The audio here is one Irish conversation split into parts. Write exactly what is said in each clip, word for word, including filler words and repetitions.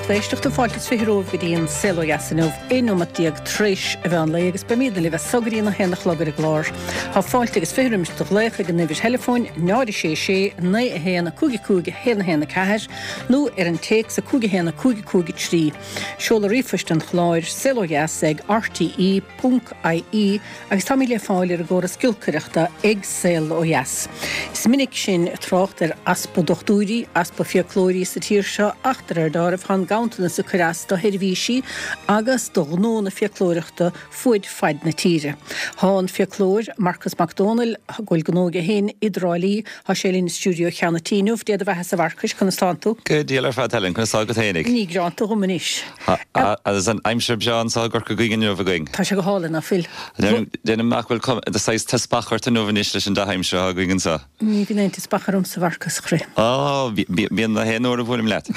Lucht éisteachta fáilte is fiche romhaibh go dtí an Saol Ó Dheas inniu, aon nóiméad déag tar éis an mheán lae agus beimidne libh as so go dtí a haon a chlog ar an gclár. Tá fáilte agus fiche roimis do ghlaoch ag an uimhir theileafóin náid a sé sé naoi a haon a cúig a cúig a haon a haon a ceathair nó ar an téacs a cúig a haon a cúig a cúig a trí. Seoladh ríomhphoist an chláir saol ó dheas ag R T E ponc I E agus táimid le fáil ar an gcóras giolcaireachta ag Saol Ó Dheas. Is minic sinn ag trácht ar easpa dochtúirí, easpa fiaclóirí sa tír seo ach de réir dealraimh tá an ganntanas ag cur as do sheirbhísí agus do ghnó na fiaclóireachta fuaid faid na tíre. Tá an fiaclóir Marcas Mac Dónaill go bhfuil gnó aige féin i dTrá Lí, tá sé linn i stiúideo Cheann an Tí inniu. Dé do bheatha a Mharcais, conas tánn tú? Go diail ar fad, Helen, conas tá agat fhéinig? Ní greanta dhom anois. Agus an aimsir breá anseo i gCorca Dhuibhne inniu againn. Tá sé go hálainn, ná fuil? Déanaim nach bhfuil de saghas teaspach ort inniu anois leis an dea-aimsir atá againn anseo. Ní bhíonn aon teaspach ormsa, a Mharcais chroí. Á, bíonn na haon uair a bhuailim leat.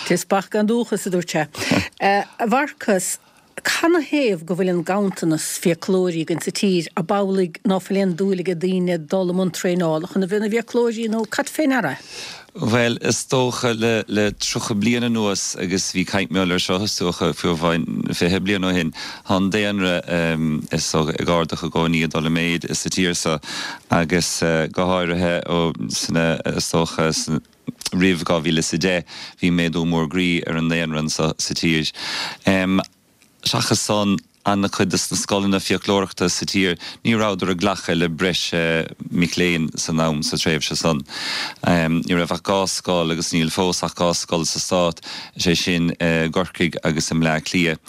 Teaspach gan dúchas, a dúirt sé. A Mharcais, canathaobh go bhfuil an ganntanas fiaclóirí againn sa tír ab amhlaidh ná fuil aon dúil ag daoine dul i mbun traenála chun a bheith ina bhfiaclóirí nó cad fé ndeara? Bhuel, is dócha le le tríocha bliain anuas agus bhí caint mhór air seo is dócha fiú amháin fiche bliain ó shin, tá an daonra is dócha ag ardú i gcónaí ag dul i méid sa tír seo agus go háirithe ó sna is dócha roimh dhá mhíle is a deich bhí méadú mór groí ar an daonra anseo sa tír. Seachas san, an-chuid de na scoileanna fiaclóireachta sa tír ní rabhadar ag glacadh le breis mic léinn san am sa tréimhse san. Ní raibh ach dhá scoil agus níl fós ach dhá scoil sa stát, sé sin i gCorcaigh agus i mBleá Cliath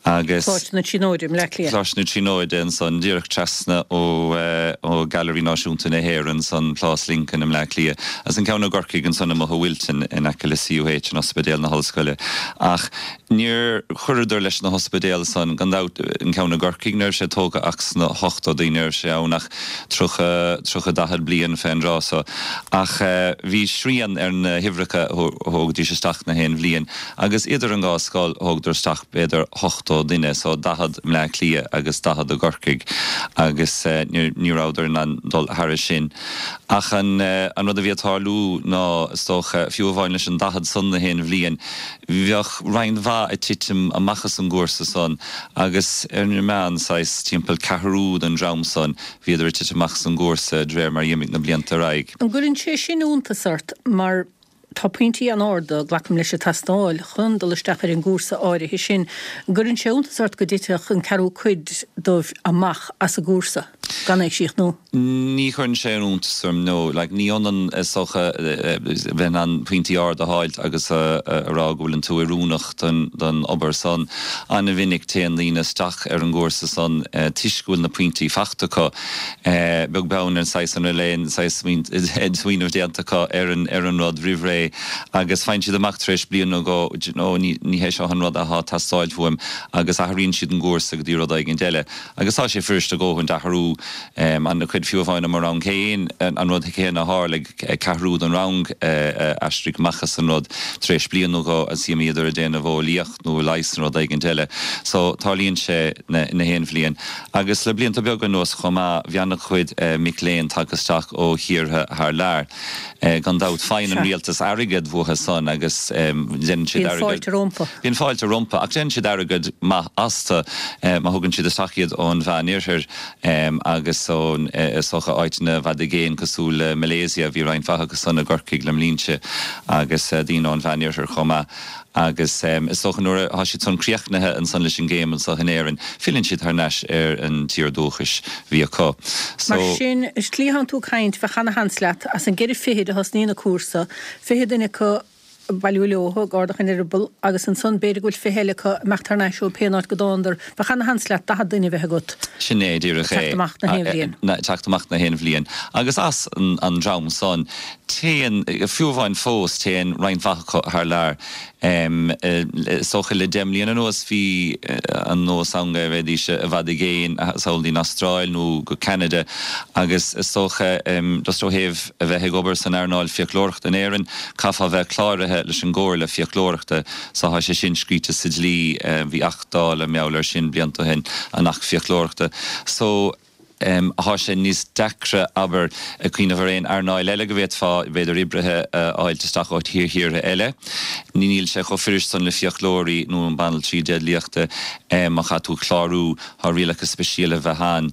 agus. Coláiste na Tríonóide i mBleá Cliath. Coláiste na Tríonóide ansan díreach trasna ó ó Gailearaí Náisiúnta na hÉireann san Plás Lincoln i mBleá Cliath agus an ceann i gCorcaigh ansan amuigh i Wilton in aice le C U H an Ospidéal na hOllscoile. Ach níor chuireadar leis na hospidéil san gan dabht an ceann i gCorcaigh ní raibh sé tógtha ach sna hochtóidí, ní raibh sé ann ach tríocha, tríocha daichead bliain fén dtráth so. Ach bhí srian ar na huimhreacha a thógaidís isteach na haon bhliain agus idir an dhá scoil thógadar isteach b'fhéidir ochtó duine, so daichead i mBleá Cliath agus daichead i gCorcaigh agus ní rabhadar in ann dul thairis sin. Ach an an rud a bhí ag tarlú ná is dócha fiú amháin leis an daichead san na haon bhliain, bheadh roinnt mhaith ag titim amach as an gcúrsa san agus ar an meán saghas timpeall ceathrú den dream san bhíodar ag titim amach as an gcúrsa de réir mar d'imigh na blianta ar aghaidh. An gcuireann sé sin iontas ort mar tá pointí an-arda, glacaim leis, ag teastáil chun dul isteach ar an gcúrsa áirithe sin. An gcuireann sé iontas ort go dtitfeadh an ceathrú cuid dóibh amach as an gcúrsa gan é a chríochnú? Ní chuireann sé iontas orm, no. Like, ní ionann is dócha bheith in ann pointí arda a fháilt agus a rá go bhfuileann tú oiriúnach don don obair san. An-mhinic téann daoine isteach ar an gcúrsa san toisc go bhfuil na pointí faighte acu, beag beann ar an saghas an raibh aon saghas smaoineamh déanta acu ar an ar an rud roimh ré agus faigheann siad amach tar éis bliain nó dhó, do you know, ní ní hé seo an rud atá ag teastáilt uaim agus athraíonn siad an gcúrsa go dtí rud éigin eile. Agus tá sé fuirist a dhóthain athrú an-chuid fiú amháin i mo rang féin, an rud céanna a tharla, ceathrú den rang a aistrigh amach as an rud tar éis bliain nó dhó agus d'imíodar ag déanamh eolaíocht nó leigheas nó rud éigin eile. So tarlaíonn sé na haon bhliain. Agus le blianta beaga anuas chomh maith bhí an-chuid mic léinn tagtha isteach ó thíortha thar lear. Gan dabht faigheann an rialtas airgead uathu san agus déanann siad Bíonn airgead. fáilte rompu. Bíonn fáilte rompu ach déanann siad airgead maith astu má thugann siad isteach iad ón Mheánoirthear agus ón is dócha áiteanna i bhfad i gcéin cosúil le Malaysia, bhí roinnt mhaith acu san i gCorcaigh le mblianta agus daoine ón Mheánoirthear chomh maith. Agus is dócha nuair atá siad san críochnaithe ansan leis an gcéim anseo in Éirinn, filleann siad thar n-ais ar an tír dúchais bhí acu. So. Mar sin, is slí atánn tú ag caint, bheadh ana-sheans leat, as an gceithre fichid a thosnaíonn an cúrsa, fiche duine acu bailiú leo ag ardach an eireabaill agus ansan b'fhéidir go bhfuil fiche eile acu imeacht thar n-ais ó pé áit go dtánadar, bheadh ana-sheans leat daichead duine a bheith agat Sin é díreach ag teacht é. amach na haon bhliain. Teacht amach na haon bhliain. Agus as an dream san, téann, fiú amháin fós, téann roinnt mhaith acu thar lear. Is dócha le deich mbliana anuas bhí an nós ann go bhféadaidís i bhfad i gcéin dul go dtí an Astráil nó go Ceanada agus is dócha just ó thaobh a bheith ag obair san earnáil fiaclóireachta in Éirinn, caithfeá bheith cláraithe leis an gComhairle Fiaclóireachta so tá sé sin scríte sa dlí, bhí Acht Dála mar gheall air sin blianta ó shin, an Acht Fiaclóireachta. So. Thá sé níos deacra, abair, cuimhneamh ar aon earnáil eile go bhféadfá, b'fhéidir, oibrithe a fháilt isteach ó thíortha eile. Níl sé chomh fuirist san le fiaclóirí nó an banaltraí déidliachta. Má chaithfidh tú clárú, thá rialacha speisialta a bheith ann.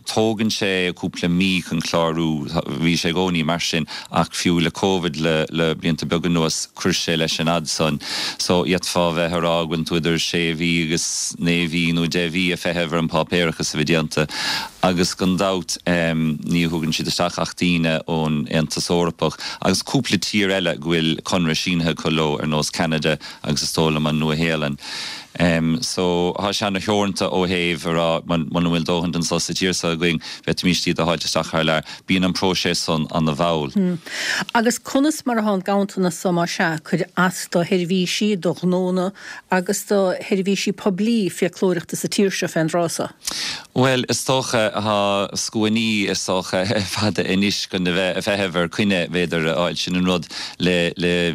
Tógann sé cúpla mí chun clárú, bhí sé i gcónaí mar sin ach fiú le Covid le le blianta beaga anuas chuir sé leis an fhad san. So d'fhéadfá bheith a rá go bhfuil tú idir sé mhí agus naoi mhí nó deich mhí ag feitheamh ar an páipéarachas a bheith déanta agus gan dabht ní thugann siad isteach ach daoine ón Aontas Eorpach agus cúpla tír eile go bhfuil conradh sínithe acu leo ar nós Ceanada agus is dóigh liom an Nua-Shéalainn. So thá sé ana-theoranta ó thaobh a rá muna bhfuil dóthain anso sa tír seo againn, bhféadfaimis iad a fháilt isteach thar lear. Bíonn an próiseas san ana-mhall. Agus conas mar atá an ganntanas so más ea ag cur as do sheirbhísí, do ghnónna agus do sheirbhísí poiblí fiaclóireachta sa tír seo fén dtráth so? Bhuel, is dócha, thá scuainí is dócha fada anois chun a bheith ag feitheamh ar coinne, b'fhéidir, a fháil. Sin an rud le, le,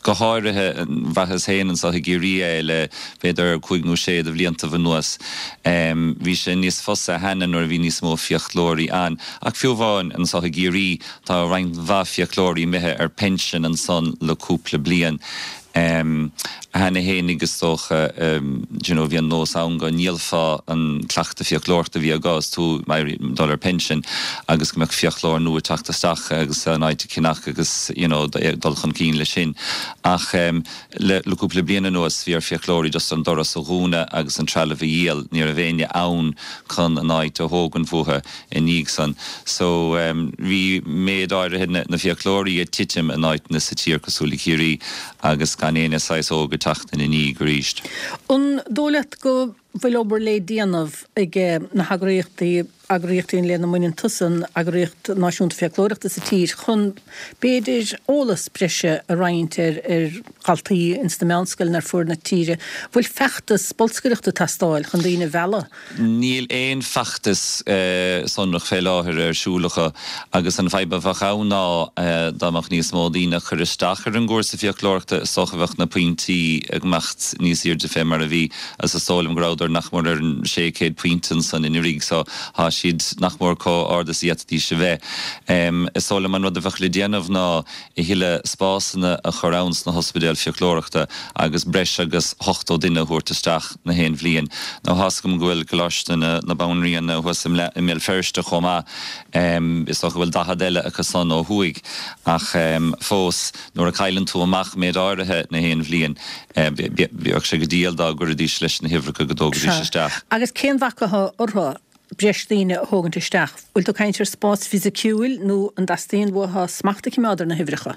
go háirithe, bhraitheas féin anso i gCiarraí é le b'fhéidir cúig nó sé de bhliantaibh anuas. Bhí sé níos fusa cheana nuair a bhí níos mó fiaclóirí ann. Ach fiú amháin anso i gCiarraí tá roinnt mhaith fiaclóirí imithe ar pinsean ansan le cúpla bliain. Cheana fhéinig is dócha, d'you know, bhí an nós ann go ndíolfá an cleachtadh fiaclóireachta a bhí agat is tú ag dul ar pinsean agus go mbeadh fiaclóir nua ag teacht isteach agus an áit a cheannach agus, you know, dul chun cinn leis sin. Ach le cúpla bliain anuas bhí ar fiaclóirí just an doras a dhúnadh agus an trealamh a dhíol, ní raibh éinne ann chun an áit a thógaint uathu i ndiaidh san. So bhí méid áirithe na fiaclóirí ag titim in áiteanna sa tír cosúil le Ciarraí agus gan éinne saghas óg ag teacht ina ndiaidh arís. An dóigh leat go bhfuil obair le déanamh ag na heagraíochtaí, eagraíochtaí lena mbaineann tusa, an Eagraíocht Náisiúnta Fiaclóireachta sa tír, chun, b'fhéidir, eolas breise a roinnt ar ar dhaltaí ins na meánscoileanna ar fuaid na tíre? Bhfuil feachtas bolscaireachta ag teastáil chun daoine a mhealladh? Níl aon feachtas sonrach fé láthair ar siúl acu agus an fadhb a bheadh ann ná dá mbeadh níos mó daoine ag cur isteach ar an gcúrsa fiaclóireachta is dócha bheadh na pointí ag imeacht níos airde fé mar a bhí agus is dóigh liom go rabhadar nach mór ar an sé chéad pointe ansan anuraidh so tá siad nach mór chomh ard is a d'fhéadfaidís a bheith. Is dóigh liom an rud a bheadh le déanamh ná a thuilleadh spásanna a chur ann sna hospidéil fiaclóireachta agus breis agus ochtó duine a thabhairt isteach na haon bhliain. Now tá's agam go bhfuil Coláiste na Banríona thuas i mBéal Feirste chomh maith, is dócha go bhfuil daichead eile acu san ó thuaidh ach fós nuair a chailleann tú amach méid áirithe na haon bhliain bheadh sé go diail dá gcuirfidís leis na huimhreacha go dtógaidís isteach. Agus cén bhac atá orthu breis daoine a thógaint isteach? Bhfuil tú ag caint ar spás fisiciúil nó an dteastaíonn uathu smacht a choimeád ar na huimhreacha?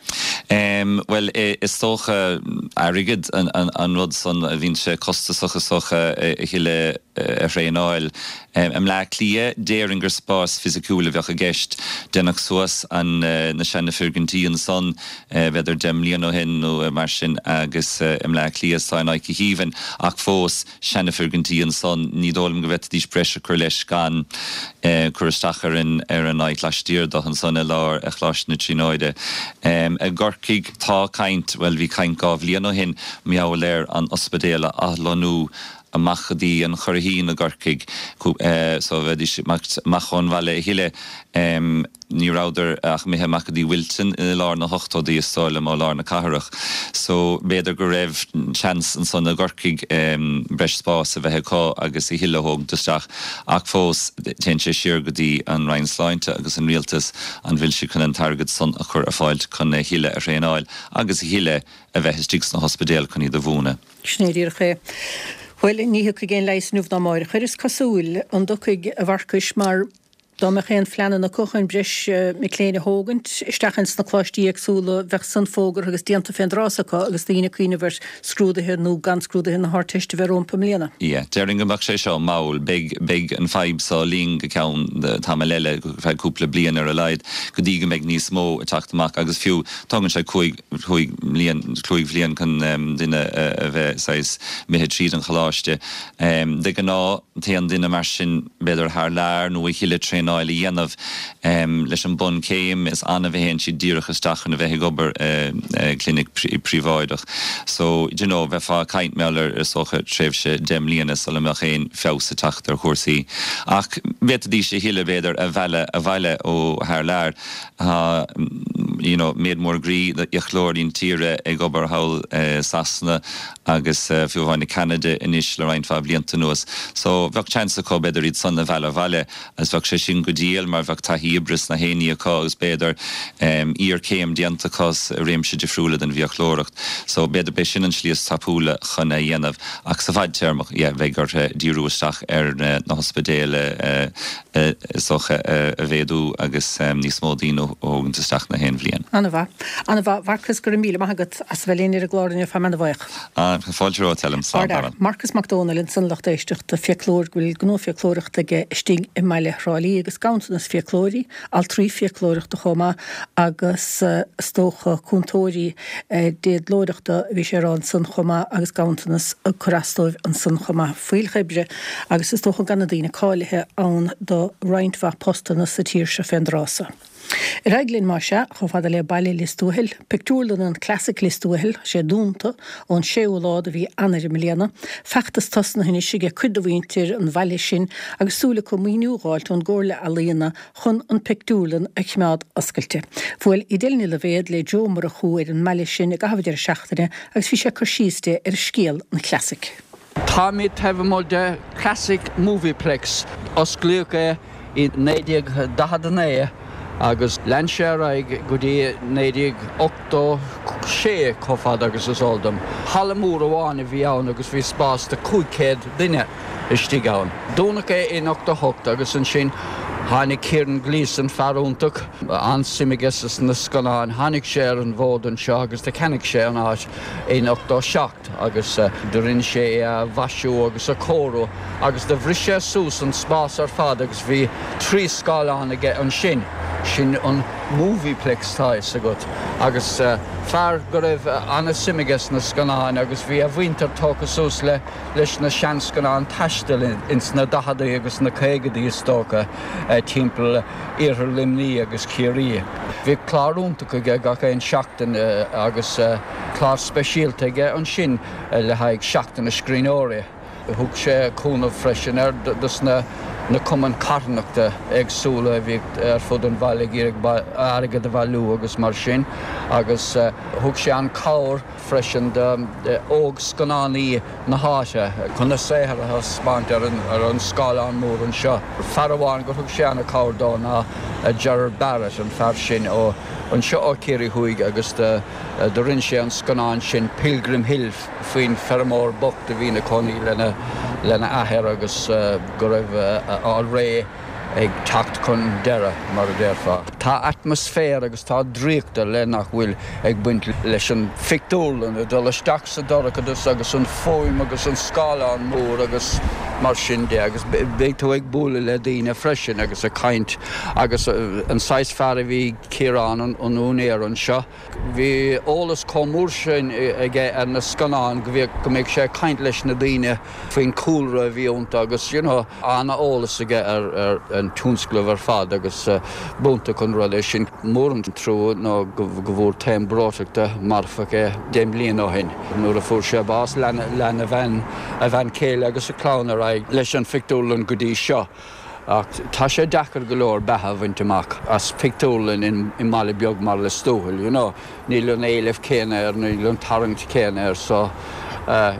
Bhuel, is dócha airgead an rud san a bhíonn sé costasach is dócha a thuilleadh a thraenáil. I mBleá Cliath, déarfainn gur spás fisiciúil a bheadh i gceist. Deineadh suas an na seana foirgintí ansan b'fhéidir deich mbliana ó shin nó mar sin agus i mBleá Cliath tá in Aice Shiabhain ach fós seana-fhoirgintí ansan, ní dóigh liom go bhféadfaidís breis a chur leis gan cur isteach ar an ar an áit laistiar de ansan i lár Choláiste na Tríonóide. I gCorcaigh tá caint, bhuel bhí caint dhá bhliain ó shin, mar gheall ar an ospidéal a athlonnú amach go dtí an Churraichín i gCorcaigh so bheidís amach ón bhaile a thuilleadh. Ní rabhadar ach imithe amach go dtí Wilton i lár na hochtóidí is dóigh liom ó lár na cathrach. So b'fhéidir go raibh seans ansan i gCorcaigh breis spáis a bheith acu agus a thuilleadh a thógaint isteach ach fós téann sé siar go dtí an Roinn Sláinte agus an Rialtas an bhfuil siad chun an t-airgead san a chur ar fáilt chun a thuilleadh a thraenáil agus a thuilleadh a bheith istigh sna hospidéil chun iad a mhúineadh. Sin é díreach é. Bhuel, ní thiocfaidh aon leigheas inniu ná amáireach air, is cosúil. An dtiocfaidh, a Mharcais, mar dá mbeadh aon phleananna acu chun breis mic léinn a thógaint isteach ins na coláistí éagsúla, bheadh san fógartha agus déanta fén dtráth so acu agus daoine ag cuimhneamh ar scrúduithe nó gan scrúduithe na hArdteiste a bheith rompu i mbliana. Yeah, déarfainn go mbeadh sé seo mall. Beidh, beidh an fadhb so linn go ceann tamaill eile, go feadh cúpla bliain ar a laghad, go dtí go mbeidh níos mó ag teacht amach agus fiú, tógann sé cúig, cúig mbliain, cúig bhliain chun duine a bheith saghas imithe tríd an choláiste. De ghnáth, téann duine mar sin b'fhéidir thar lear nó a thuilleadh traenála. traenáil a dhéanamh leis an bunchéim is annamh a théann siad díreach isteach chun a bheith ag obair i gclinic príobháideach. So you know bheifeá ag caint mar ar is dócha tréimhse deich mbliana sula mbeadh aon feabhas ag teacht ar chúrsaí. Ach b'fhéadaidís a thuilleadh b'fhéidir a mhealladh abhaile ó thar lear. Tá you know méid mór groí d'fhiaclóirí na tíre ag obair thall i Sasana agus fiú amháin i Ceanada anois le roinnt mhaith blianta anuas. So bheadh chance acu b'fhéidir iad san a mhealladh abhaile agus bheadh sé sin go diail mar bheadh taithí oibre sna haonaí acu agus b'fhéidir iarchéim déanta acu i réimse difriúla den bhfiaclóireacht. So b'fhéidir b'é sin an slí is tapúla chun é dhéanamh ach sa bhfadtéarmach yeah bheadh orthu díriú isteach ar na hospidéil is dócha a mhéadú agus níos mó daoine a thógaint isteach na haon bhliain. An-mhaith. An-mhaith. Mharcas, go raibh míle maith agat as a bheith linn ar an gclár inniu, tá mé an-bhuíoch. Fáilte romhat, Helen. Slán tamall. Marcas Mac Dónaill ansan lucht éisteachta, fiaclóir go bhfuil gnó fiaclóireachta aige istigh i mbaile Thrá Lí agus ganntanas fiaclóirí, altraí fiaclóireachta chomh maith agus is dócha cúntóirí déadlóireachta a bhí sé a rá ansan chomh maith agus ganntanas ag cur as dóibh ansan chomh maith. Fuílleach oibre agus is dócha gan na daoine cáilithe ann do roinnt mhaith postanna sa tír seo fén dtráth so. Ar aghaidh linn más ea, chomh fada le baile Lios Tuathail, pictiúrlann an Classic Lios Tuathail, sé dúnta ón séú lá de mhí Eanáir i mbliana. Feachtas tosnaithe anois ag cuid de mhuintir an bhaile sin agus súil acu maoiniú a dh'fháilt ón gComhairle Ealaíona chun an pictiúrlann a choimeád oscailte. Bhuail Edel Ní Loibhéad le Joe Murchú ar an mbaile sin i gcaitheamh deireadh seachtaine agus bhí sé ag cur síos di ar scéal an Classic. Táimid taobh amuigh de Classic Movieplex. Osclaíodh é i naoi déag daichead a naoi agus lean sé ar aghaidh go dtí naoi déag ochtó sé chomh fada agus is eol dom. Halla mór amháin a bhí ann agus bhí spás do cúig chéad duine istigh ann. Dúnadh é in ochtó hocht agus ansin tháinig Kieran Gleeson, fear iontach, an-suim aige sna scannáin, tháinig sé ar an bhfód anseo agus do cheannaigh sé an áit in ochtó seacht agus do rinne sé é a mhaisiú agus a chóiriú agus do bhris sé suas an spás ar fad agus bhí trí scáileán aige ansin. Sin an Movieplex tá fhios agat. Agus fear go raibh an-suim aige sna scannáin agus bhí a mhuintir tógtha suas le leis na seanscannáin taistil ins na daicheadaí agus na caogadaí is dócha timpeall iarthar Luimnigh agus Ciarraí. Bhí clár iontach aige gach aon seachtain agus clár speisialta aige ansin le haghaidh Seachtain na Scríbhneoirí. Thug sé cúnamh freisin ar dos na na cumainn carthanachta éagsúla a bhí ar fud an bhaile ag iarraidh airgead a bhailiú agus mar sin agus thug sé an cabhair freisin d'óg-scannánaí na háite chun a saothar a thaispeáint ar an ar an scáileán mór anseo. Fear amháin gur thug sé an-cabhair dó ná Gerard Barrett, an fear sin ó anseo ó Chiarraí Thuaidh agus do do rinne sé an scannán sin Pilgrim Hill faoin feirmeoir bocht a bhí ina chónaí lena lena athair agus go raibh a ré ag teacht chun deireadh, mar a déarfá. Tá atmaisféar agus tá draíocht ar leith nach bhfuil ag baint leis an phictiúrlann, ag dul isteach sa dorchadas agus an fuaim agus an scáileán mór agus mar sin de agus beidh tú ag bualadh le daoine freisin agus ag caint agus an saghas fear a bhí Ciarán, an úinéir anseo. Bhí eolas chomh mór sin aige ar na scannáin go bhíodh, go mbeadh sé ag caint leis na daoine faoin chúlra a bhí iontu agus you know an-eolas aige ar ar an tionscnamh ar fad agus b'iontach an rud é sin. Mór an trua ná go go bhfuair taom breoiteachta marfach é deich mbliana ó shin. Nuair a fuair sé bás lean lean a bhean a bhean chéile agus a chlann ar aghaidh leis an phictiúrlann go dtí seo. Ach tá sé deacair go leor beatha a bhaint amach as pictiúrlann i mbaile beag mar Lios Tuathail, you know. Níl an éileamh céanna air, níl an tarraingt céanna air so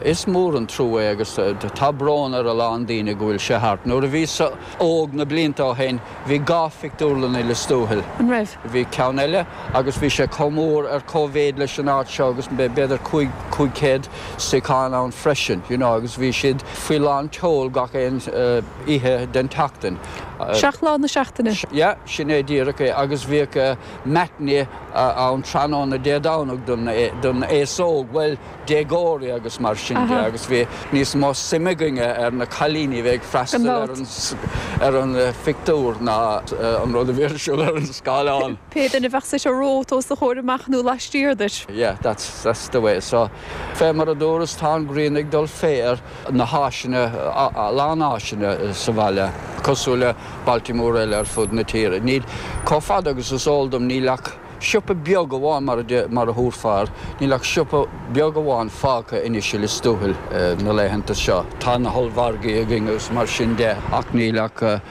is mór an trua é agus tá brón ar a lán daoine go bhfuil sé thart. Nuair a bhíos óg na blianta ó shin bhí dhá phictiúrlann i Lios Tuathail. An raibh? Bhí ceann eile agus bhí sé chomh mór ar cóimhéid leis an áit seo agus b'fhéidir cúig cúig chéad suíochán ann freisin, you know, agus bhí siad faoi lán tseoil gach aon oíche den tseachtain. Seacht lá na seachtaine. Yeah, sin é díreach é agus bhíodh matinee ann tráthnóna Dé Domhnaigh don don aos óg, bhuel, déagóirí agus mar sin de agus bhí níos mó suime againne ar na cailíní a bhí ag freastal ar an ar an phictiúr ná an rud a bhí ar siúl ar an scáileán. Pé duine a bheadh suite romhat os do chomhair amach nó laistiar duit. Yeah, that's that's the way. So, fé mar a dúras, tá an ghrian ag dul fé ar na háiseanna, a lán áiseanna sa bhaile. Cosúil le bailte móra eile ar fud na tíre. Níl chomh fada agus is eol dom níl ach siopa beag amháin mar a mar a thabharfá, níl ach siopa beag amháin fágtha anois i Lios Tuathail na laethanta seo. Tá na hollmhargaí againn agus mar sin de ach níl ach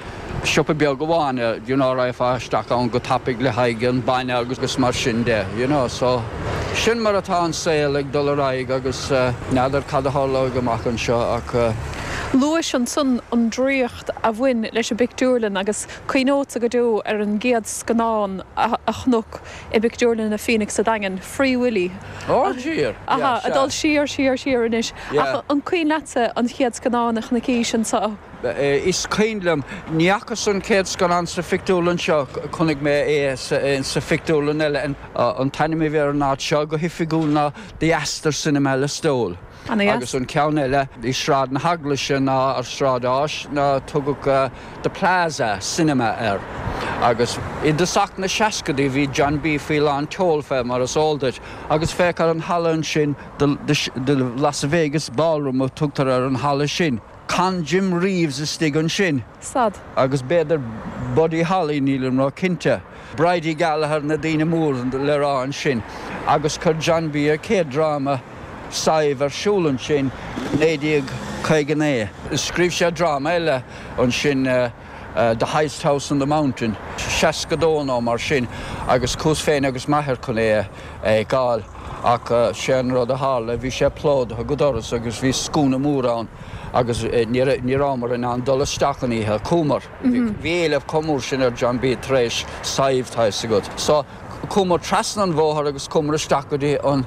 siopa beag amháin you know rachfá isteach ann go tapaidh le haghaidh an bainne agus mar sin de you know so sin mar atá an saol ag dul ar aghaidh agus n'fheadar cad a tharlóidh amach anseo ach Luais ansan an draíocht a bhain leis an bpictiúrlann agus cuimhneodsa go deo ar an gcéad scannán a chonac i bpictiúrlann na Phoenix sa Daingean, Free Willy. Ó siar! Aha, ag dul siar siar siar anois. Ach an cuimhin leatsa an chéad scannán a chonaicis anseo? Is cuimhin liom, ní fhacas an chéad scannán sa phictiúrlann seo, chonaic mé é sa phictiúrlann eile. An t-ainm a bhí ar an áit seo go hoifigiúil ná The Astor Cinema Listowel. Agus an ceann eile i Sráid na hEaglaise ná ar Sráid Áis ná tugadh The Plaza Cinema air. Agus i dtosach na seascadaí bhí John B faoi lán tseoil fé mar is eol duit. Agus féach ar an halla ansin, The Las Vegas Ballroom a tugtar ar an halla sin. Chan Jim Reeves istigh ansin. Stad. Agus b'fhéidir Buddy Holly, nílim ró-chinnte. Bridie Gallagher, na daoine mór le rá ansin. Agus chuir John B a chéad dráma Sadhbh ar siúl ansin naoi déag caoga naoi. Scríobh sé dráma eile ansin The Highest House on the Mountain, seasca dó nó mar sin, agus chuas féin agus m'athair chun é a fheiceáil ach sé an rud a tharla, bhí sé plódaithe go doras agus bhí scuaine mór ann agus ní rabhamar in ann dul isteach an oíche a chuamar. Bhí éileamh chomh mór sin ar John B tar éis Sadhbh, tá fhios agat. So chuamar trasna an bhóthair agus chuamar isteach go dtí an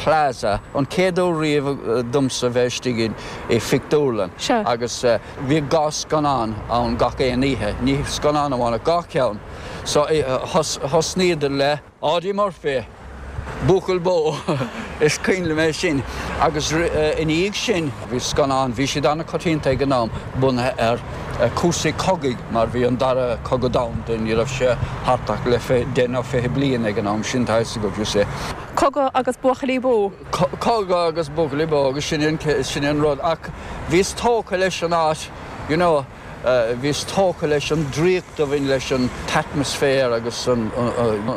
Plaza, an chéad uair riamh domsa bheith istigh i phictiúrlann. Agus bhí dhá scannán ann gach aon oíche, ní scannán amháin ach dhá cheann. So thosnaíodar le Audie Murphy, Buachaill Bó, is cuimhin liom é sin. Agus ina dhiaidh sin bhí scannán, bhí siad an-choitianta ag an am, bunaithe ar cúrsaí cogaidh mar bhí an Dara Cogadh Domhanda, ní raibh sé thart ach le deich nó fiche bliain ag an am sin, tá fhios agat, you see. Cogadh agus buachaillí bó. Cogadh agus buachaillí bó agus sin sin an rud. Ach bhíos tógtha leis an áit, you know, bhíos tógtha leis an draíocht a bhain leis an t-atmaisféar agus an.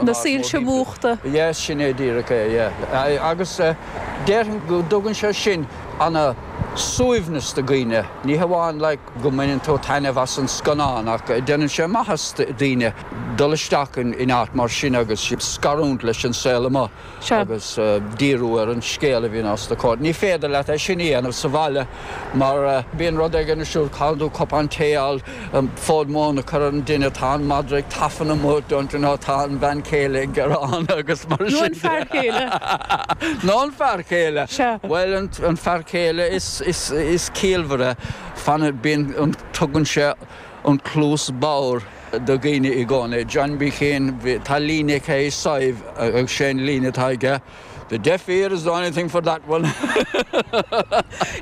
Na soilse múchta. Yes, sin é díreach é, yeah. Agus déarfainn go dtugann sé sin ana suaimhneas do dhaoine, ní hamháin like go mbaineann tú taitneamh as an scannán ach déanann sé maitheas do dhaoine dul isteach in áit mar sin agus scarúint leis an saol amuigh agus díriú ar an scéal a bhíonn os do chomhair. Ní féidir leat é sin a dhéanamh sa bhaile mar bíonn rud éigin ar siúl, caithfidh tú cupán tae a fháil, fód móna a chur ar an dtine, tá an madra ag tafann amuigh, don't you know, tá an bhean chéile ag gearán agus mar sin. Nó an fear céile. Nó an fear céile. Bhuel, an fear céile is is is ciallmhaire, fanann, bíonn an, tugann sé an cluas bodhar do dhaoine i gcónaí. John B féin, tá líne aige i Sadhbh agus sé an líne atá aige, The deaf ear is the only thing for that one.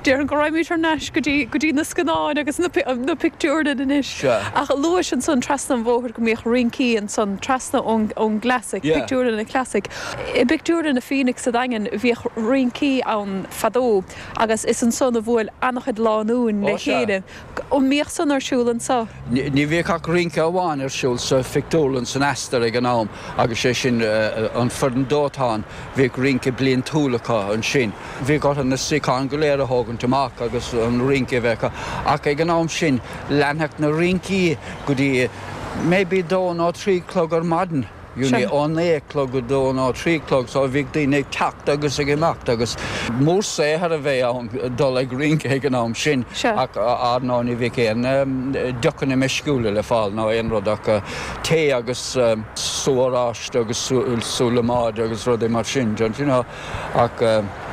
Déarfainn go raghaimid thar n-ais go dtí go dtí na scannáin agus na na pictiúrlann anois. Sea. Ach luais ansan trasna an bhóthair go mbíodh rincí ansan trasna ón ón gClassic, Yeah. pictiúrlann an Classic. I bpictiúrlann na Phoenix sa Daingean bhíodh rincí ann fadó agus is ansan a bhuail an-chuid lánúin le Ó, sea. chéile. An mbíodh san ar siúl anso? Ní bhíodh ach rince amháin ar siúl sa phictiúrlann san Astor ag an am agus sé sin an foireann dóiteáin. Bhíodh rince bliantúil acu ansin. Bhíodh orthu na suíocháin go léir a thógaint amach agus an rince a bheith acu. Ach ag an am sin leanfadh na rincí go dtí maybe dó nó trí chlog ar maidin. You know, ó naoi a chlog go dó nó trí chlog so bhíodh daoine ag teacht agus ag imeacht agus mórshaothar a bheith ann dul ag rince ag an am sin ach ar ndóigh ní bhíodh aon deochanna meisciúla le fáil ná aon rud ach tae agus sú oráiste agus sú liomóide agus rudaí mar sin, don't you know. Ach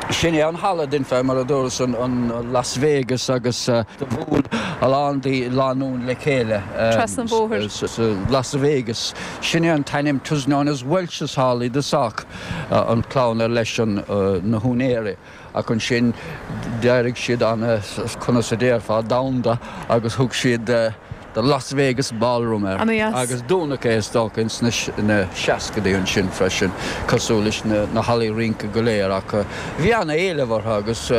sin é an halla din fé mar a dúras an Las Vegas agus do bhuail a lán de lánúin le chéile Trasna an bhóthair. sa Las Vegas. Sin é an t-ainm 'twas known as Welch's Hall i dtosach, an clann ar leis an na húinéirí. Ach ansin d'éirigh siad ana, conas a déarfá, domhanda agus thug siad The Las Vegas Ballroom air. Ana-dheas. Agus dúnadh é is dócha ins na na seascadaí ansin freisin, cosúil leis na na hallaí rince go léir ach bhí an-éileamh orthu agus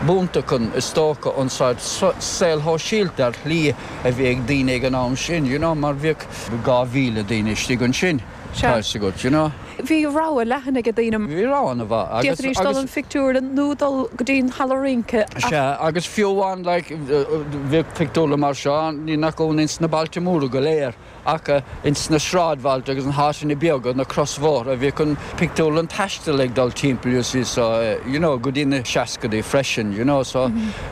b'iontach an is dócha an saghas saol shóisialta ar shlí a bhí ag daoine ag an am sin, you know, mar bhíodh dhá mhíle daoine istigh ansin. Sea. Tá fhios agat, you know. Bhí rogha leathan ag daoine. Bhí rogha an-mhaith agus D'fhéadfaidís dul agus an phictiúrlann nó dul go dtí an halla rince ach Sea, agus fiú amháin like bhíodh pictiúrlann mar seo, ní nach ionadh ins na bailte móra go léir ach ins na sráidbhailte agus na háiteanna beaga, na crosbhóithre, bhíodh an pictiúrlann taistil ag dul timpeall you see so you know go dtí na seascadaí freisin, you know so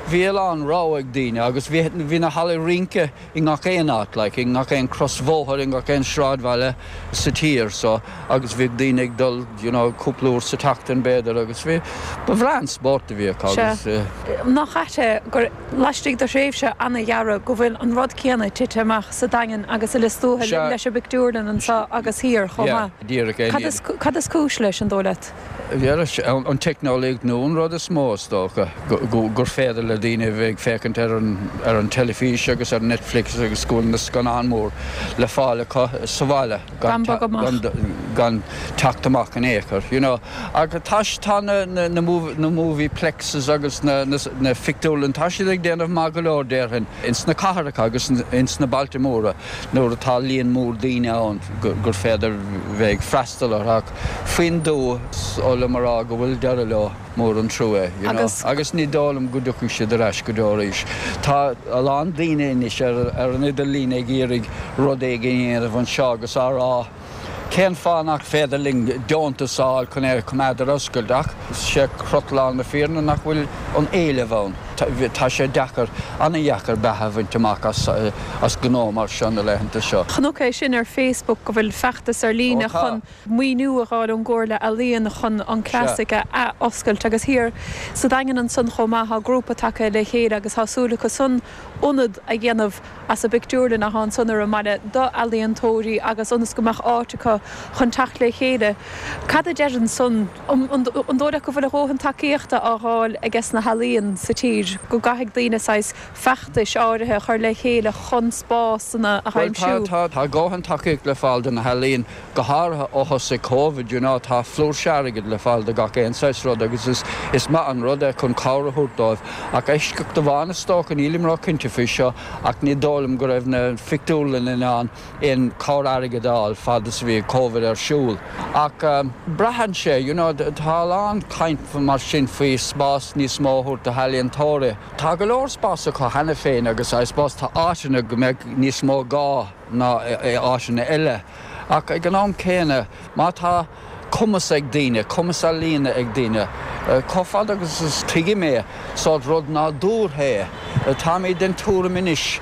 bhí a lán rogha ag daoine agus bhí bhí na hallaí rince i ngach aon áit like i ngach aon crosbhóthar, i ngach aon sráidbhaile sa tír so agus bhíodh daoine ag dul you know cúpla uair sa tseachtain b'fhéidir agus bhí ba bhreá an spórt a bhí acu agus Sea. Nach ait é gur laistigh de thréimhse an-ghearr go bhfuil an rud céanna tite amach sa Daingean agus i Lios Tuathail Sea. leis an bpictiúrlann anseo agus thiar chomh Yeah, maith. díreach é Cad is cad is cúis leis an dóigh leat? Yeah, an teicneolaíocht nó an rud is mó is dócha gur féidir le daoine a bheith ag féachaint ar an ar an teilifís agus ar Netflix agus go bhfuil na scannáin mór le fáil acu sa bhaile Gan bogadh amach. gan, gan teacht amach in aon chor, you know. Agus tá tá na, na, na, movie, na movie plexes agus na, na, na pictiúrlann tá siad ag déanamh maith go leor déarfainn ins na cathracha agus ins na bailte móra nuair atá líon mór daoine ann gur féidir bheith ag freastal orthu ach faoin tuath is oth liom a rá go bhfuil deireadh leo mór an trua you know. Agus- agus ní dóigh liom go dtiocfaidh siad ar ais go deo arís. Tá a lán daoine anois ar, ar an idirlíon ag iarraidh rud éigin a dhéanamh anseo agus á rá Cén fáth nach féidir linn deontas a fháil chun é a choimeád ar oscailt ach sé croílár na fírinne nach bhfuil an éileamh ann. Tá sé deacair an-deacair beatha a bhaint amach as, as gnó mar seo na laethanta seo. Chonac é sin ar Facebook go bhfuil feachtas ar líne Ó, tá. chun maoiniú a fháil ón gComhairle Ealaíon chun an Classic a athoscailt agus thiar sa Daingean ansan chomh maith tá grúpa tagtha le chéile agus tá súil acu san ionad a dhéanamh as an bpictiúrlann atá ansan ar an mbaile d'ealaíontóirí agus ionas go mbeadh áit acu chun teacht le chéile. Cad a deireann san an dóigh go bhfuil a dhóthain tacaíochta á fháil aige na healaíona sa tír, go gcaithfidh daoine saghas feachtais áirithe a chur le chéile chun spásanna a Well, tá aimsiú. tá tá dóthain tacaíocht le fáil do na healaíona go háirithe ó thosaigh COVID, you know, tá flúirse airgid le fáil do gach aon saghas rud agus is, is maith an rud é chun cabhair a thabhairt dóibh. Ach eisceacht amháin is dócha nílim róchinnte faoi seo ach ní dóigh liom go raibh na pictiúrlanna in ann aon chabhair airgid a fháil fad is a bhí COVID ar siúl. Ach um, braitheann sé, you know, tá an caint mar sin faoi spás níos mó a thabhairt do healaíontóirí. Tá go leor spás acu cheana féin agus I suppose tá áiteanna go mbeidh níos mó gá ná áiteanna eile. Ach ag an am céanna má tá cumas ag daoine, cumas ealaíne ag daoine. Chomh fada agus is tuigim é sórt rud nádúrtha é. Tá mé den tuairim anois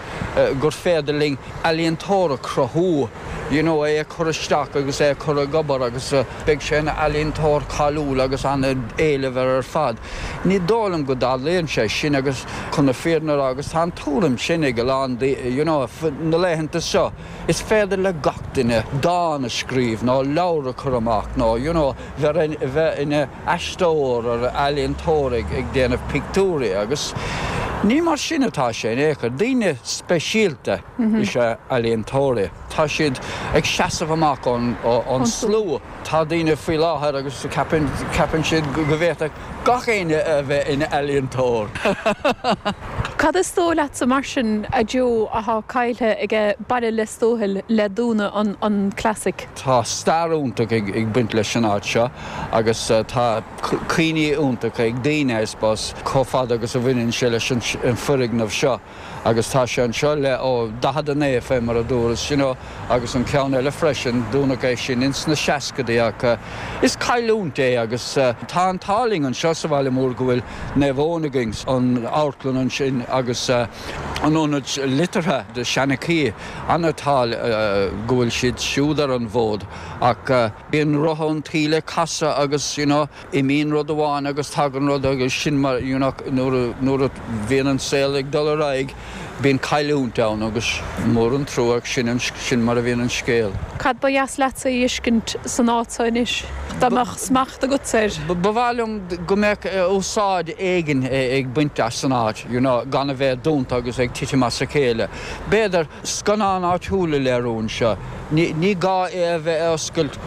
gur féidir linn ealaíontóir a chruthú. You know, é chur isteach agus é chur ag obair agus beidh sé ina ealaíontóir cáiliúil agus an-éileamh air ar fad. Ní dóigh liom go dtarlaíonn sé sin agus chun na fírinne agus tá an tuairim sin ag a lán you know, na laethanta seo. Is féidir le gach duine dán a scríobh nó leabhar a chur amach nó you know, bheith bheith ina aisteoir ar ealaíontóir ag ag déanamh pictiúirí agus ní mar sin atá sé in aon chor daoine speisialta is ea ealaíontóirí. Tá siad ag seasamh amach an an slua. Tá daoine faoi láthair agus ceapann ceapann siad go bhféadfadh gach éinne a bheith ina ealaíontóir. Cad is dóigh leatsa mar sin a Joe atá caillte ag baile Lios Tuathail le dúnadh an, an Classic. Tá stair iontach ag, ag baint leis an áit seo agus uh, tá cuimhní iontach ag daoine I suppose chomh fada agus a bhaineann sé leis an, an foirgneamh seo. agus tá sé anseo le ó daichead a naoi fé mar a dúras you know, agus an ceann eile freisin dúnadh é sin ins na seascadaí ach uh, is cailliúint é agus uh, tá an t-ádh linn anseo sa bhaile mór go bhfuil Naomh Eoin againn an amharclann ansin agus uh, an ionad liteartha de Seanchaí an-t-ádh uh, go bhfuil siad siúd ar an bhfód ach uh, bíonn rotha an tsaoil ag casadh agus you know, imíonn rud amháin agus tagann rud agus sin mar you know, nuair nuair a bhíonn an saol ag dul ar aghaidh Bíonn cailliúint ann agus mór an trua sin an sin mar a bhíonn an scéal. Cad ba dheas leatsa a fheiscint san áit seo anois? Dá mbeadh smacht agat air? Ba mhaith liom go mbeadh úsáid éigin ag baint as an áit, you know, gan a bheith dúnta agus ag titim as a chéile. B'fhéidir scannán áitiúil a léiriú anseo. Ní ní gá é a bheith oscailt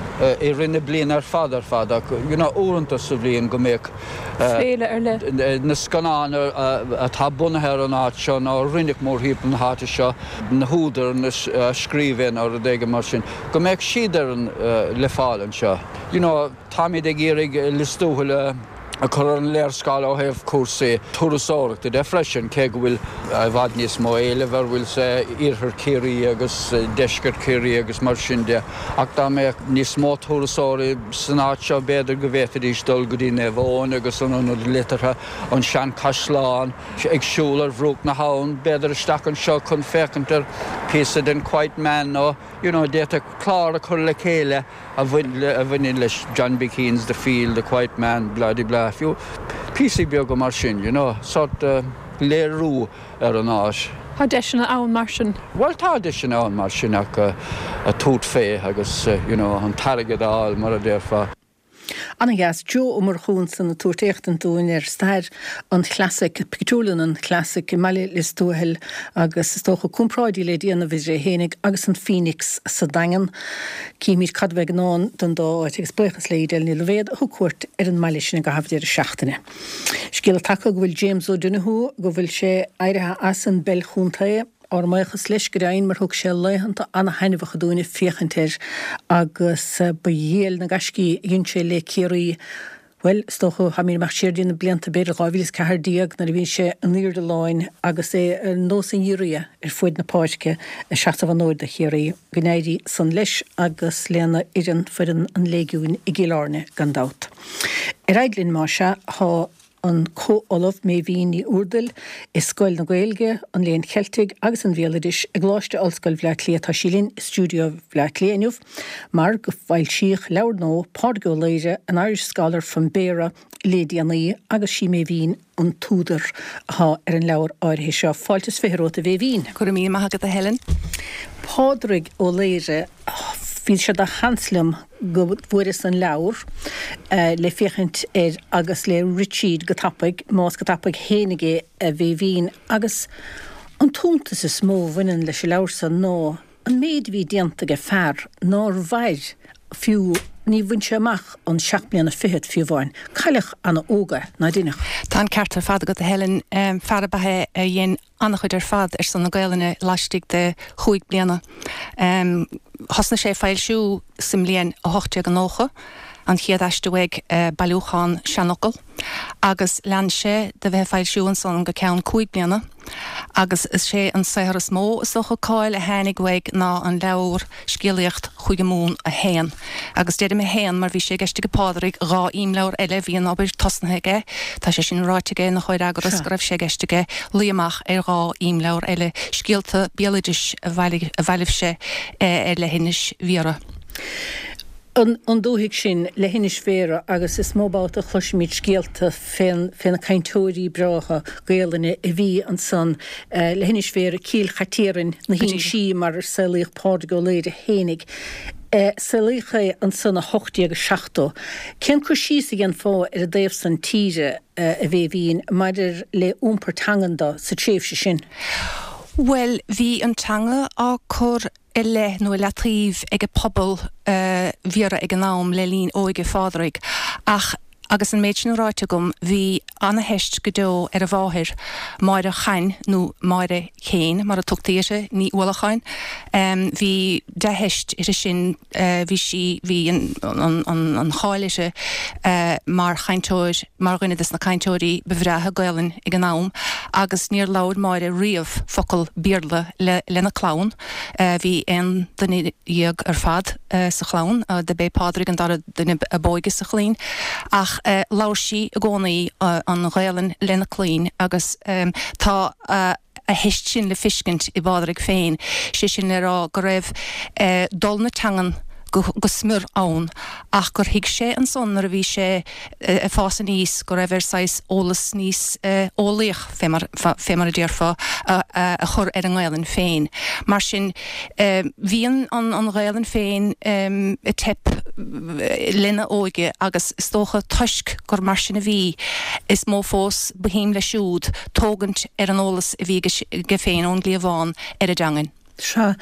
i rith na bliana ar fad ar fad ach you know, uaireanta sa bhliain go mbeadh Féile ar leith. na scannáin atá bunaithe ar an áit seo nó rinneadh mórthimpeall na háite seo, na húdair na scríbhinn nó rud éigin mar sin, go mbeadh siad ar an le fáil anseo. You know, táimid ag iarraidh Lios Tuathail a chur ar an léarscáil ó thaobh cúrsaí turasóireachta de freisin, cé go bhfuil i bhfad níos mó éilimh ar bhfuil sé iarthar Chiarraí agus deisceart Chiarraí agus mar sin de, ach dá mbeadh níos mó turasóirí san áit seo b'fhéidir go bhféadfaidís dul go dtí Naomh Eoin agus an ionad liteartha, an seanchaisleán, ag siúl ar bhruach na habhann, b'fhéidir isteach anseo chun féachaint ar píosa den Quiet Man nó you know, d'fhéadfadh clár a chur le chéile a bhaineann leis John B. Keane's The Field, The Quiet Man, blah de blah, fiú píosaí beaga mar sin, you know, sort uh, léiriú ar an áit. Tá deiseanna ann mar sin. Well tá deiseanna ann mar sin ach uh, a tabhairt fé agus uh, you know, an t-airgead a fháil mar a déarfá. Ana-dheas Joe Ó Murchú ansan ag tabhairt éachtaint dúinn ar stair an Classic, pictiúrlann an Classic i mbaile Lios Tuathail agus is dócha comparáidí le déanamh idir é fhéinig agus an Phoenix sa Daingean. Címid cad a bheidh i ndán don dá áit agus buíochas le Edel Ní Loibhéad a thug cuairt ar an mbaile sin i gcaitheamh deireadh seachtaine. Scéala tagtha go bhfuil James O'Donoghue go bhfuil sé éirithe as an bpeil chontae ár mbuíochas leis go deimhin mar thug sé laethanta ana-thaitneamhacha dúinn féachaint air agus ba dhiail na gaiscí a dhein sé le Ciarraí. Bhuel, is dócha tháimid amach siar dtí na blianta b'fhéidir dhá mhíle is ceathair déag nuair a bhí sé in airde láin agus é ar nós an ghiorria ar fuaid na páirce ag seasamh an fhóid do Chiarraí. Go n-éirí san leis agus lena fhoireann, foireann an Léigiúin i gCill Airne gan dabht. Ar aghaidh linn más ea, tá an Comh-Ollamh Méibhín Ní Úrdail i Scoil na Gaeilge, an Léinn Cheiltigh agus an Bhéaloidis i gColáiste Ollscoile Bhaile Átha Cliath. Tá sí linn i stiúideo Bhaile Átha Cliath inniu mar go foilsíodh leabhar nua Pádraig Ó Laoghaire, An Irish Scholar from Béara le déanaí agus sí Méibhín an t-údar atá ar an leabhar áirithe seo. Fáilte is fiche romhat a Mhéibhín. Go raibh míle maith agat a Helen. Pádraig Ó Laoghaire, bhí sé de sheans liom go bhfuaireas an leabhar le féachaint air agus le rith tríd go tapaidh, más go tapaidh fhéinig é a Mhéibhín, agus an t-iontas is mó a bhaineann leis an leabhar san ná an méid a bhí déanta ag fear nár mhair fiú, ní bhain sé amach an seacht mbliana fichead fiú amháin. Cailleadh ana-óg é, ná deineadh? Tá an ceart ar fad agat a Helen, fear ab ea é a dhein an-chuid ar fad ar son na Gaelainne laistigh de chúig bliana. Thosnaigh sé ag foilsiú sa mbliain a hocht déag nócha, an chéad aiste uaidh, bailiúchán seanfhocal, agus lean sé de bheith ag foilsiú ansan go ceann cúig bliana agus is é an saothar is mó is dócha cáil a tháinig uaidh ná an leabhar Scéalaíocht Chúige Mumhan a haon. Agus deirim a haon mar bhí sé i gceist ag Pádraig dhá imleabhar eile, bhí an obair tosnaithe aige, tá sé sin ráite aige ina chomhfhreagras go raibh sé i gceist aige luí amach ar dhá imleabhar eile, scéalta béaloidis a bhailigh sé ar leithinis Bhiorra. An dúthaigh sin, leithinis Bhéarra, agus is mó babhta a chloisimid scéalta fé na cainteoirí breátha Gaelainne a bhí ansan, leithinis Bhéarra, Cill Chait Iarainn, na hInsí mar ar saolaíodh Pádraig Ó Laoghaire fhéinig. Saolaíodh é ansan i hocht déag seachtó. Cén cur síos a dhéanfá ar an dtaobh san tíre, a Mhéibhín, maidir le iompar teangan de sa tréimhse sin? Bhuel, bhí an teanga á cur i leith nó i leataobh ag pobal Bhiorra ag an am le linn óige Phádraig ach agus an méid sin ráite agam, bhí ana-theist go deo ar a mháthair, Máire Chain nó Máire Chéin mar a tugtaí uirthi, Ní Uallacháin. Bhí dea-theist uirthi sin, bhí sí, bhí an cháil uirthi mar chainteoir, mar dhuine des na cainteoirí ba bhreátha Gaelainn ag an am agus níor labhair Máire riamh focal Béarla lena clann. Bhí aon duine dhéag ar fad sa chlann, dob é Pádraig an dara duine ab óige sa chlainn, ach labhair sí i gcónaí an Ghaelainn lena clainn agus tá a theist sin le feiscint i bPádraig féin, sé sin le rá go raibh dul na teangan go go smior ann ach gur thuig sé ansan nuair a bhí sé ag fás aníos go raibh air saghas eolas níos eolaíoch, fé mar fé mar a déarfá, a chur ar an nGaelainn féin. Mar sin bhí an an Ghaelainn féin ag teip lena óige agus is dócha toisc gur mar sin a bhí, is mó fós ba shuim leis siúd tógaint ar an eolas a bhí aige féin ón gcliabhán ar an dteangain. Sea,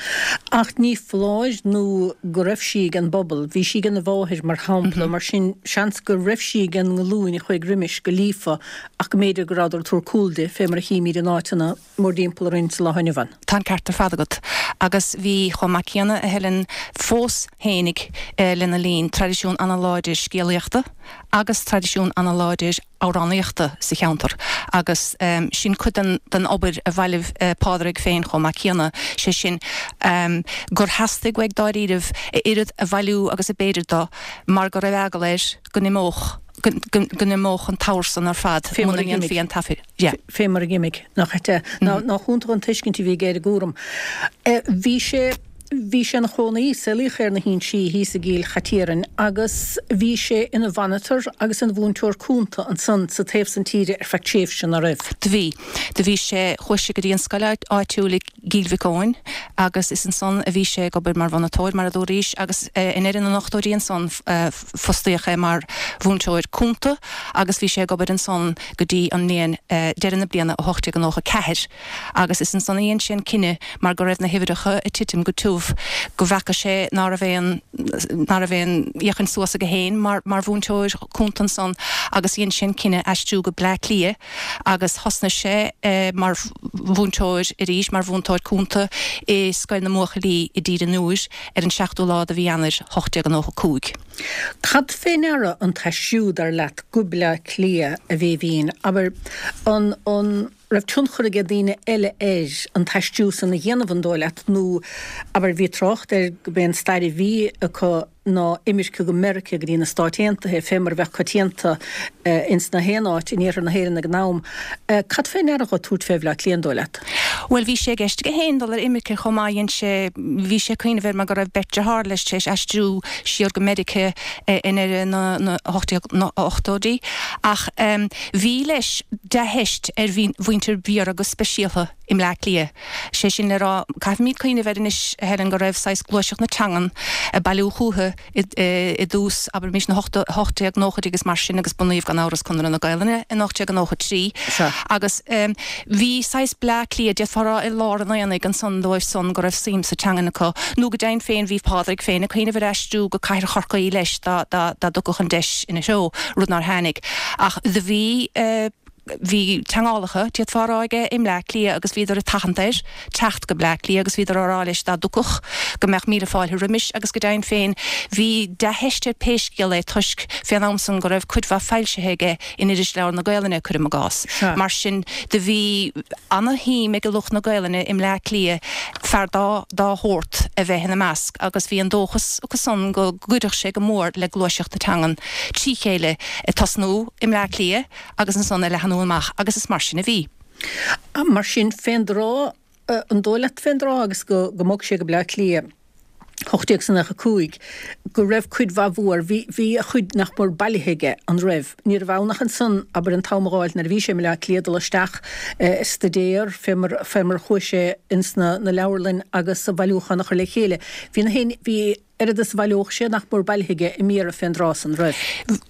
ach ní foláir nó go raibh sí ag an bpobal, bhí sí ag a mháthair mar shampla, mar sin seans go raibh sí ag an nglúin a chuaigh roimis go líofa ach go mb'fhéidir go rabhadar ag tabhairt cúl di, fé mar a chímid in áiteanna mórdtimpeall orainn sa lá inniu ann. Tá an ceart ar fad agat. Agus bhí chomh maith céanna, a Helen, fós fhéinig lena linn, traidisiún ana-láidir scéalaíochta agus traidisiún ana-láidir amhránaíochta sa cheantar agus sin cuid den den obair a bhailigh Pádraig féin chomh maith céanna, sé sin gur theastaigh uaidh dáiríribh a oiread a bhailiú agus a b'fhéidir dó mar go raibh eagal air go n-imeodh go n-imeodh an t-abhar san ar fad muna ndéanfaí an taifead. Fé mar a d'imigh, nach ea? Nach iontach an tuiscint a bhí aige ar an gcúram. Bhí sé. Bhí sé ina chónaí, saolaíodh é ar na hInsí thíos i gCill Chaitiairn agus bhí sé ina mhonitor agus ina mhúinteoir cúnta ansan sa taobh san tíre ar feadh tréimhse, ná raibh? Do bhí. Do bhí sé, chuaigh sé go dtí an scoil áitiúil i gCill Mhic Eoin agus is ansan a bhí sé ag obair mar mhonatóir, mar a dúraís, agus i ndeireadh na n-ochtóidí ansan fostaíodh é mar mhúinteoir cúnta agus bhí sé ag obair ansan go dtí an mbliain, deireadh na bliana a hocht déag nócha ceathair agus is ansan a dhein sé an cinneadh mar go raibh na huimhreacha ag titim go tiubh, go bhfaca sé ná raibh aon, ná raibh aon fhéachaint suas aige féin mar, mar mhúinteoir cúnta ansan agus dhein sé an cinneadh aistriú go Bleá Cliath agus thosnaigh sé mar mhúinteoir arís, mar mhúinteoir cúnta i Scoil na mBuachaillí i dTír an Iúir ar an seachtú lá de mhí Eanáir ocht déag nócha cúig. Cad fé ndeara an t-aistriú, dar leat, go Bleá Cliath, a Bhéibhinn? Abair, an, an. raibh tionchar aige daoine eile air an t-aistriú san a dhéanamh, an dóigh leat, nó abair bhí trácht air go b'é an stair a bhí acu ná imirce go Meiriceá go dtí na Stáit Aontaithe fé mar a bheadh coitianta ins na haon áit in iarthar na hÉireann ag an am. Cad fé ndeara dho tabhairt fé Bhleá Cliath, an dóigh leat? Bhuel bhí sé i gceist aige féin dul ar imirce chomh maith, dhein sé, bhí sé ag cuimhneamh air mar go raibh beirt dearthár leis tar éis aistriú siar go Meiriceá i ndeireadh na na hocht déag ochtóidí ach bhí leis dea-theist ar mhuintir Bhiorra go speisialtha i mBleá Cliath. Sé sin le rá, caithfimid cuimhneamh air anois, a Helen, go raibh saghas gluaiseacht na teangan ag bailiú chúthu i dtús, abraimis, na hocht déag nóchaidí agus mar sin agus bunaíodh gan amhras Conradh na Gaelainne in ocht déag nócha trí agus bhí saghas Bleá Cliath, d'fhéadfá a rá, i lár an aonaigh ansan dóibh san go raibh suim sa teangain acu. Nó go deimhin féin bhí Pádraig féin ag cuimhneamh ar aistriú go cathair Chorcaí leis dá dtiocfadh an deis ina threo, rud nár tháinig. Ach do bhí. Bhí teangmhálacha, d'fhéadfá a rá, aige i mBleá Cliath agus bhíodar ag tathant air teacht go Bleá Cliath agus bhíodar á rá leis dá dtiocfadh go mbeadh míle fáilte roimis agus go deimhin féin bhí dea-theist air pé scéal é toisc fén am san go raibh cuid mhaith foilsithe aige in Irisleabhar na Gaelainne, cuirim i gcás. Mar sin do bhí ana-shuim ag lucht na Gaelainne i mBleá Cliath fear dá dá shórt a bheith ina measc agus bhí an dóchas acu san go gcuirfeadh sé go mór le gluaiseacht na teangan trí chéile ag tosnú i mBleá Cliath agus ansan ag leathnú amach agus is mar sin a bhí. Mar sin, fén dtráth, an dóigh leat fén dtráth agus go go mbog sé go Bleá Cliath, ocht déag nócha cúig, go raibh cuid mhaith mhór, bhí, bhí a chuid nach mór bailithe aige, an raibh? Ní raibh ann ach ansan, abair, an t-am a dh'fháilt nuair a bhí sé i mBleá Cliath dul isteach ag staidéar fé mar, fé mar a chuaigh sé ins na, na leabharlainn agus a bhailiúchán a chur le chéile. Bhí na haon, bhí oiread is a bhaileodh sé nach mór bailithe aige i mBiorra fén dtráth san, raibh?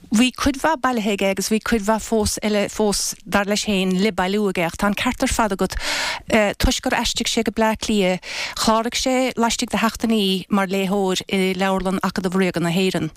Bhí cuid mhaith bailithe aige agus bhí cuid mhaith fós eile fós, dar leis féin, le bailiú aige ach tá an ceart ar fad agat, toisc gur aistrigh sé go Bleá Cliath, chláraigh sé laistigh de sheachtainí mar léitheoir i Leabharlann Acadamh Ríoga na hÉireann.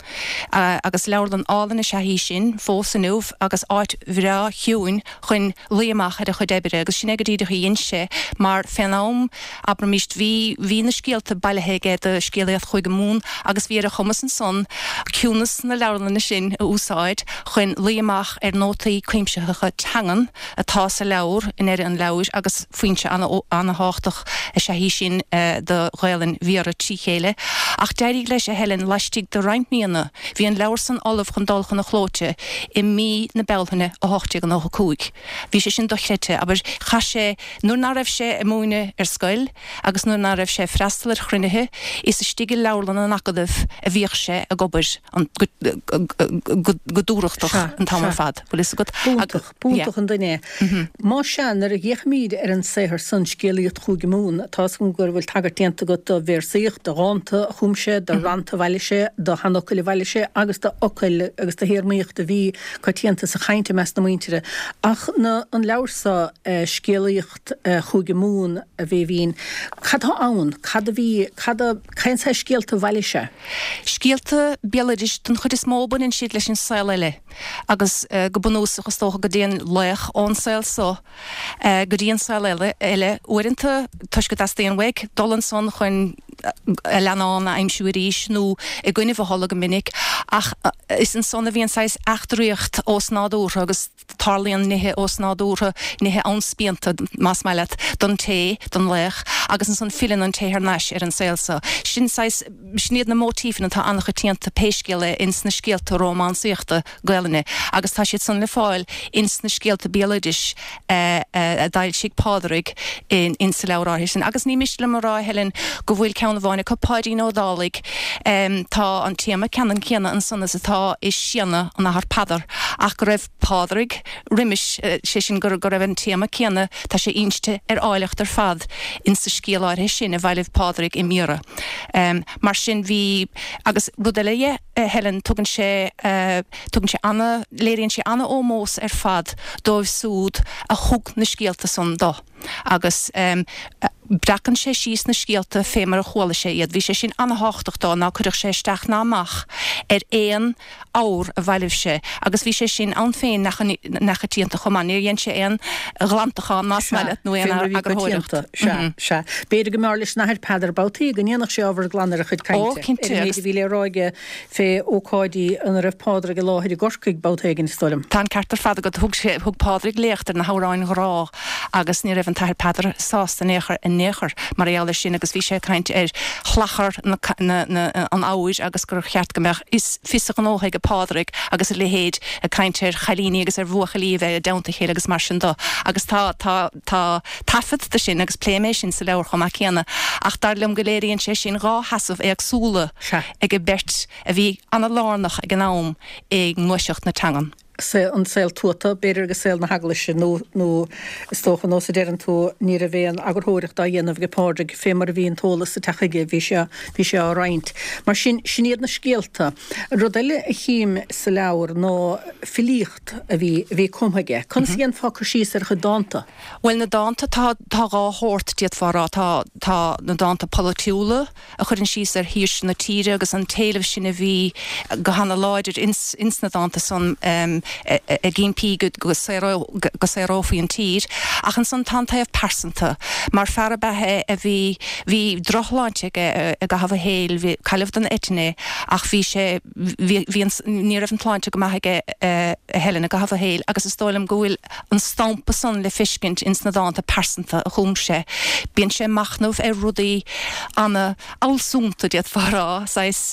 Agus leabharlann álainn is ea í sin fós inniu agus áit bhreá chiúin chun luí amach ar a chuid oibre agus sin é go díreach a dhein sé mar fén am, abraimis, bhí, bhí na scéalta bailithe aige do Scéalaíocht Chúige Mumhan agus bhí ar a chumas ansan ciúnas na leabharlainne sin a úsáid chun luí amach ar nótaí cuimsitheacha teangan atá sa leabhar i ndeireadh an leabhair agus foinse ana-thábhachtach is ea í sin do Ghaelainn Bhiorra trí chéile. Ach d'éirigh leis, a Helen, laistigh de roinnt míonna, bhí an leabhar san ullamh chun dul chun an chlóite i mí na Bealtaine a hocht déag nócha cúig. Bhí sé sin dochreidte, abair, chaith sé, nuair ná raibh sé ag múineadh ar scoil agus nuair ná raibh sé ag freastal ar chruinnithe, is istigh i leabharlann an san Acadamh a bhíodh sé ag obair an go dúthrachtach an t-am ar fad. Bhfuil fhios agat? B'iontach, b'iontach an duine é. Más ea, nuair a fhéachaimid ar an saothar san, Scéalaíocht Chúige Mumhan, tá 'fhios agam go bhfuil tagairt déanta agat do véarsaíocht, do dhánta a chum sé, do rannta a bhailigh sé, do sheanfhocail a bhailigh sé agus do fhocail agus do théarmaíocht a bhí coitianta sa chaint i measc na muintire. Ach na, an leabhar so, Scéalaíocht Chúige Mumhan, a Bhéibhinn, cad tá ann? Cad a bhí, cad a, cén saghas scéalta a bhailigh sé? Scéalta béaloidis den chuid is mó, baineann siad leis an saol eile agus go bunúsach is dócha go dtéann laoch ón saol so go dtí an saol eile, eile uaireanta toisc go dteastaíonn uaidh dul ansan chun a leannán a aimsiú arís nó i gcoinnibh a thola go minic ach is ansan a bhíonn saghas eachtraíocht osnádúrtha agus tarlaíonn nithe osnádúrtha, nithe anspíonta más maith leat, don té, don laoch agus ansan filleann an té thar n-ais ar an saol so. Sin saghas, sin iad na móitífeanna atá an-choitianta pé scéal é ins na scéalta rómánsaíochta Gaelainne agus tá siad san le fáil ins na scéalta béaloidis a d'fhoilsigh Pádraig in insa leabhar áirithe sin. Agus ní miste liom a rá, a Helen, go bhfuil ceann amháin acu, Páidín Ó Dálaigh, tá an téama ceannann céanna ansan is atá i Séanadh an Athar Peadar ach go raibh Pádraig roimis, sé sin go raibh an téama céanna, tá sé inste ar áilleacht ar fad insa scéal áirithe sin a bhailigh Pádraig i mBiorra. Mar sin bhí, agus rud eile dhe, a Helen, tugann sé, tugann sé ana, léiríonn sé ana-ómós ar fad dóibh súd a thug na scéalta san do agus breacann sé síos na scéalta fé mar a chuala sé iad. Bhí sé sin ana-thábhachtach dó, ná cuirfeadh sé isteach ná amach ar aon abhar a bhailigh sé agus bhí sé sin ann féin neachoitianta chomh maith. Níor dhein sé aon ghlantachán, más maith leat, nó aon eagarthóireacht. Sea, sea. B'fhéidir go mb'fhearr leis an Athair Peadar babhtaí go ndéanfadh sé ábhar glan ar a chuid cainte, Ó, cinnte, ar an méid a bhí le rá aige fé ócáidí ina raibh Pádraig i láthair i gCorcaigh babhta éigin, is dóigh liom. Tá an ceart ar fad agat. Thug sé, thug Pádraig léacht ar na hamhráin ghrá agus ní raibh an tAthair Peadar sásta in aon chor, in aon chor mar gheall air sin agus bhí sé ag caint ar shlachar na, na, na, an abhair agus gur cheart go mbeadh fhios, fios a ghnótha aige Pádraig agus a leithéid ag caint ar chailíní agus ar bhuachaillí a bheith i dteannta a chéile agus mar sin do. Agus tá, tá, tá taifead de sin agus pléim é sin sa leabhar chomh maith céanna. Ach dar liom go léiríonn sé sin dhá sheasamh éagsúla Sea. ag an beirt a bhí ana-lárnach ag an am i ngluaiseacht na teangan. an saol tuata, b'fhéidir, agus saol na heaglaise, nó, nó is dócha, nós a deireann tú, ní raibh aon eagarthóireacht á dhéanamh ag Pádraig, fé mar a bhí an t-eolas ag teacht chuige, bhí sé, bhí sé á roinnt. Mar sin, sin iad na scéalta. Rud eile a chím sa leabhar ná filíocht a bhí, a bhí cumtha aige. Conas a dhéanfá cur síos ar a chuid dánta? Bhuel, na dánta, tá, tá dhá shórt, d'fhéadfá a rá. Tá, tá na dánta polaitiúla, a chuireann síos ar shaoirse na tíre agus an t-éileamh sin a bhí go hana-láidir ins, ins na dánta san ag impí go, go go saorófaí an tír. Ach ansan tá an taobh pearsanta. Mar fear ab ea é a bhí, bhí drochshláinte aige i gcaitheamh a shaoil, bhí, cailleadh den eitinn é ach bhí sé, bhí, bhí an, ní raibh an tsláinte go maith aige a Helen i gcaitheamh a shaoil agus is dóigh liom go bhfuil an stampa san le feiscint ins na dánta pearsanta a chum sé. Bíonn sé ag machnamh ar rudaí ana fhealsúnta, d'fhéadfá a rá, saghas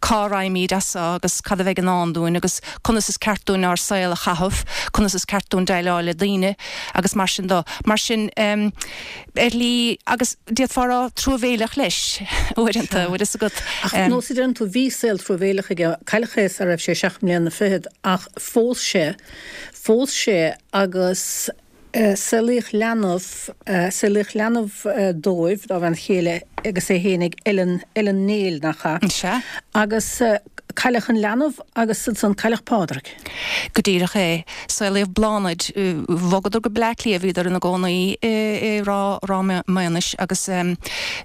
cá raghaimid as seo agus cad a bheidh i ndán dúinn agus conas is ceart dúinn ár saol a chaitheamh, conas is ceart dúinn déileáil le daoine agus mar sin do. Mar sin, ar shlí, agus d'fhéadfá a rá truamhéileach leis uaireanta, bhfuil fhios agat. Ach nós a deireann tú, bhí saol truamhéileach aige, cailleadh é sara raibh sé seacht mbliana fichead ach phós sé, phós sé agus saolaíodh leanbh, saolaíodh leanbh dóibh, dá bhean chéile agus é fhéinig, Ellen, Ellen Néill, nach ea? Sea. Agus cailleadh an leanbh agus ansan cailleadh Pádraig. Go díreach é. Saolaíodh Bláthnaid. Bhogadar go Bleá Cliath, bhíodar ina gcónaí i Ráth, Ráth Maonais agus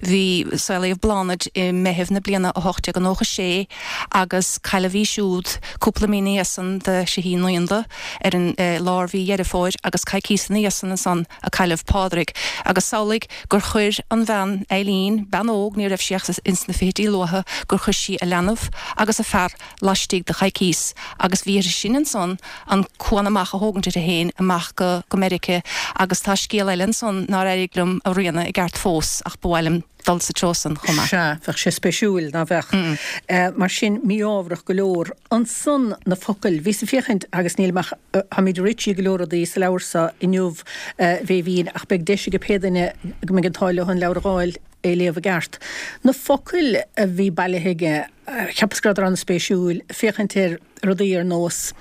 bhí, saolaíodh Bláthnaid i Meitheamh na bliana a hocht déag nócha sé agus cailleadh í siúd cúpla mí ina dhiaidh san de thrí naíonda ar an lár mhí Dheireadh Fómhair agus coicíos ina dhiaidh san ansan a cailleadh Pádraig agus samhlaigh gur chuir an bhean, Eileen, bean óg, ní raibh sí ach ins na fichidí luatha, gur chuir sí a leanbh agus a fear laistigh de choicíos agus bhí uirthi sin ansan an cuan amach a thógaint uirthi féin amach go go Meirice agus tá scéal eile ansan nár éirigh liom a rianadh i gceart fós ach ba mhaith liom dul sa treo san chomh maith. Sea, bheadh sé spéisiúil, ná bheadh? Mar sin, mí-ámharach go leor. Ansan, na focail. Bhíos ag féachaint, agus nílim ach, táimid rite go leor rudaí sa leabhar so inniu, a Bhéibhinn, ach beidh deis ag pé duine go mbeidh an t-ádh leo an leabhar a dh'fháil, é léamh i gceart. Na focail a bhí bailithe aige, cheapas go rabhadar an-spéisiúil, féachaint ar rudaí ar nós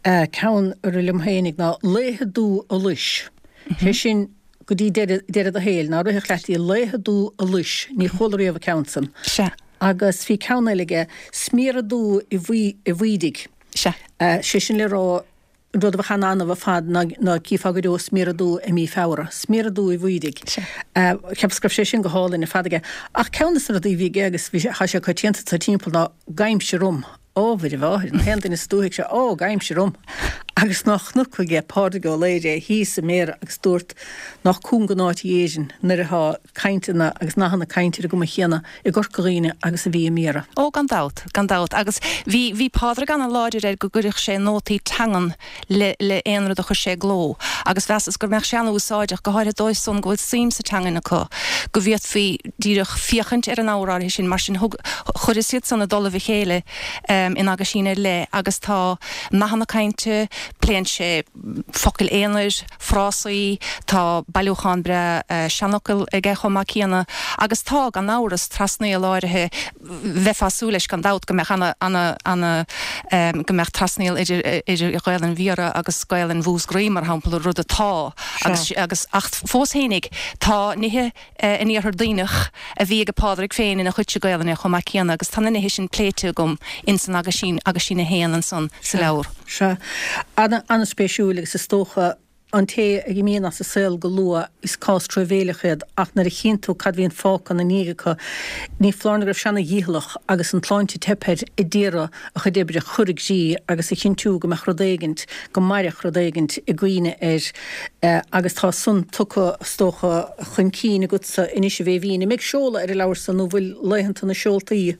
ceann a rith liom fhéinig ná 'Laetha dubha allais', sé sin go dtí deireadh do shaoil, ná rithfeadh leat í 'Laetha dubha allais', ní chuala riamh an ceann san. Sea. Agus bhí ceann eile aige, 'Smior dubh i bhFuidigh'. Sea. Sé sin le rá, an rud a bheadh an-annamh ar fad ná ná cífeá go deo smior dubh i mí Feabhra. Smior dubh i bhFuidigh. Sea. Cheapas go raibh sé sin go hálainn ar fad aige. Ach ceann de na rudaí a bhí aige agus bhí sé, thá sé coitianta sa timpeall ná 'Gabhaimse romham'. Ó, Mhuire Mháthair, an t-aon duine sa dúthaigh seo, ó, gabhaimse romham! Agus nách chonac aige Pádraig Ó Laoghaire thíos i mBéarra agus dúirt nách cúng an áit í Éirinn nuair atá cainteanna agus nathanna cainte ar an gcuma chéanna i gCorca Dhuibhne agus a bhí i mBiarra. Ó, gan dabht, gan dabht. Agus bhí, bhí Pádraig ana-láidir air go gcuirfeadh sé nótaí teangan le, le aon rud a chuir sé i gcló. Agus mheasas go mbeadh sé ana-úsáideach, go háirithe dóibh san go bhfuil suim sa teangain acu, go bhféadfaí díreach féachaint ar an ábhar áirithe sin. Mar sin, thug, chuireas iad san i dtoll a chéile in aguisín ar leith agus tá nathanna cainte, pléann sé focail aonair, frásaí, tá bailiúchán breá seanfhocal aige chomh maith céanna agus tá, gan amhras, trasnaíl áirithe, bheifeá ag súil leis gan dabht go mbeadh ana, ana, ana, go mbeadh trasnaíl idir, idir Ghaelainn Bhiorra agus Gaelainn Mhúscraí, mar shampla, rud atá agus, agus, ach fós fhéinig tá nithe in Iarthar Duibhneach a bhí ag Pádraig féin ina chuidse Gaelainne chomh maith céanna agus tá na nithe sin pléite agam ins an aguisín, aguisín a haon ansan sa leabhar. Sea. An-spéisiúil agus is dócha an té a imíonn as an saol go luath is cás truamhéileach iad ach nuair a chíonn tú cad bhíonn fágtha ina ndiaidh acu ní foláir nó go raibh sé ana-dhícheallach agus an tsláinte ag teip air a d'iarraidh a chuid oibre a chur i gcrích agus a chinntiú go mbeadh rud éigint, go mairfeadh rud éigint i gcuimhne air agus tá san tugtha is dócha chun cinn agatsa anois a Bhéibhinn. An mbeidh seoladh ar an leabhar san nó bhfuil laethanta na seoltaí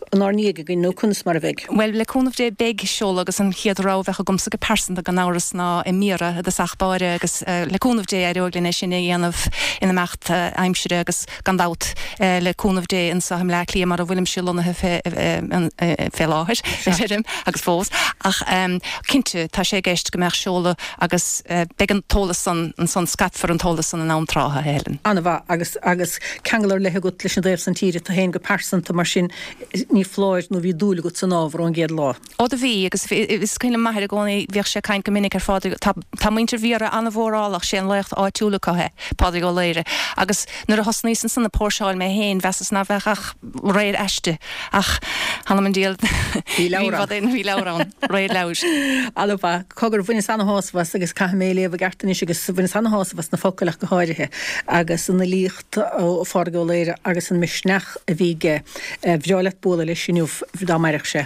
inár ndiaidh againn nó conas mar a bheidh? Bhuel, le cúnamh Dé beidh seoladh agus an chéad rogha a bheadh agamsa go pearsanta gan amhras ná i mBiorra i dtosach báire agus le cúnamh Dé éireoidh linn é sin a dhéanamh in imeacht aimsire agus gan dabht le cúnamh Dé anseo i mBleá Cliath mar a bhfuilimse lonnaithe fé láthair, deirim, agus fós. Ach cinnte tá sé i gceist go mbeadh seoladh agus beidh an t-eolas san ansan, scaipfear an t-eolas san in am trátha, a Helen. An-mhaith agus agus ceangal ar leith agat leis an dtaobh san tíre, tú féin go pearsanta mar sin ní foláir nó bhí dúil agat san ábhar ón gcéad lá. Ó do bhí, agus is cuimhin liom m'athair i gcónaí, bhíodh sé ag caint go minic ar Phádraig, tá tá muintir Bhiorra an-mhórálach, sé an laoch áitiúil acu é, Pádraig Ó Laoghaire, agus nuair a thosnaíos ansan ag póirseáil mé féin, mheasas ná bheadh ach réir aisti, ach th'anam 'on diabhal, bhí leabhar ann, bhí leabhar ann, réir leabhair. An-mhaith. Cogar, bhaineas ana-shásamh as agus caithfidh mé é léamh i gceart anois agus bhaineas ana-shásamh as na focail ach go háirithe agus an fhilíocht, ó Phádraig Ó Laoghaire agus an misneach a bhí aige. Bhreá leat bualadh leis inniu dá mairfeadh sé.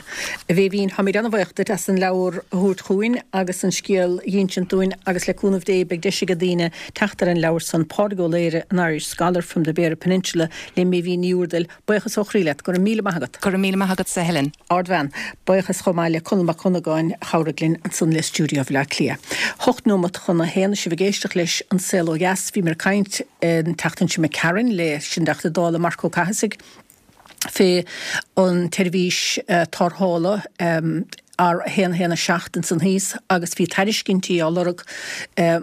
A Bhéibhinn, táimid an-bhaoch duit as an leabhar a thabhairt chugainn agus an scéal a dh'insint dúinn agus le cúnamh Dé beidh deis ag daoine teacht ar an leabhar san, Pádraig Ó Laoghaire, An Irish Scholar from the Beara Peninsula le Méibhín Ní Úrdail. Buíochas ó chroí leat. Go raibh míle maith agat. Go raibh míle maith agatsa, a Helen. Ardbhean. Buíochas chomh maith le Conall Mac Cunagáin a chabhraigh linn ansan le stiúideo Bhaile Átha Cliath. Hocht nóimeat chun a haon, sibh ag éisteacht leis An Saol Ó Dheas. Bhíomar ag caint an tseachtain seo imigh tharainn leis an dTeachta Dála Marc Ó Cathasaigh fé an tseirbhís tarrthála R a haon a haon a seacht ansan thíos agus bhí tairiscintí á lorg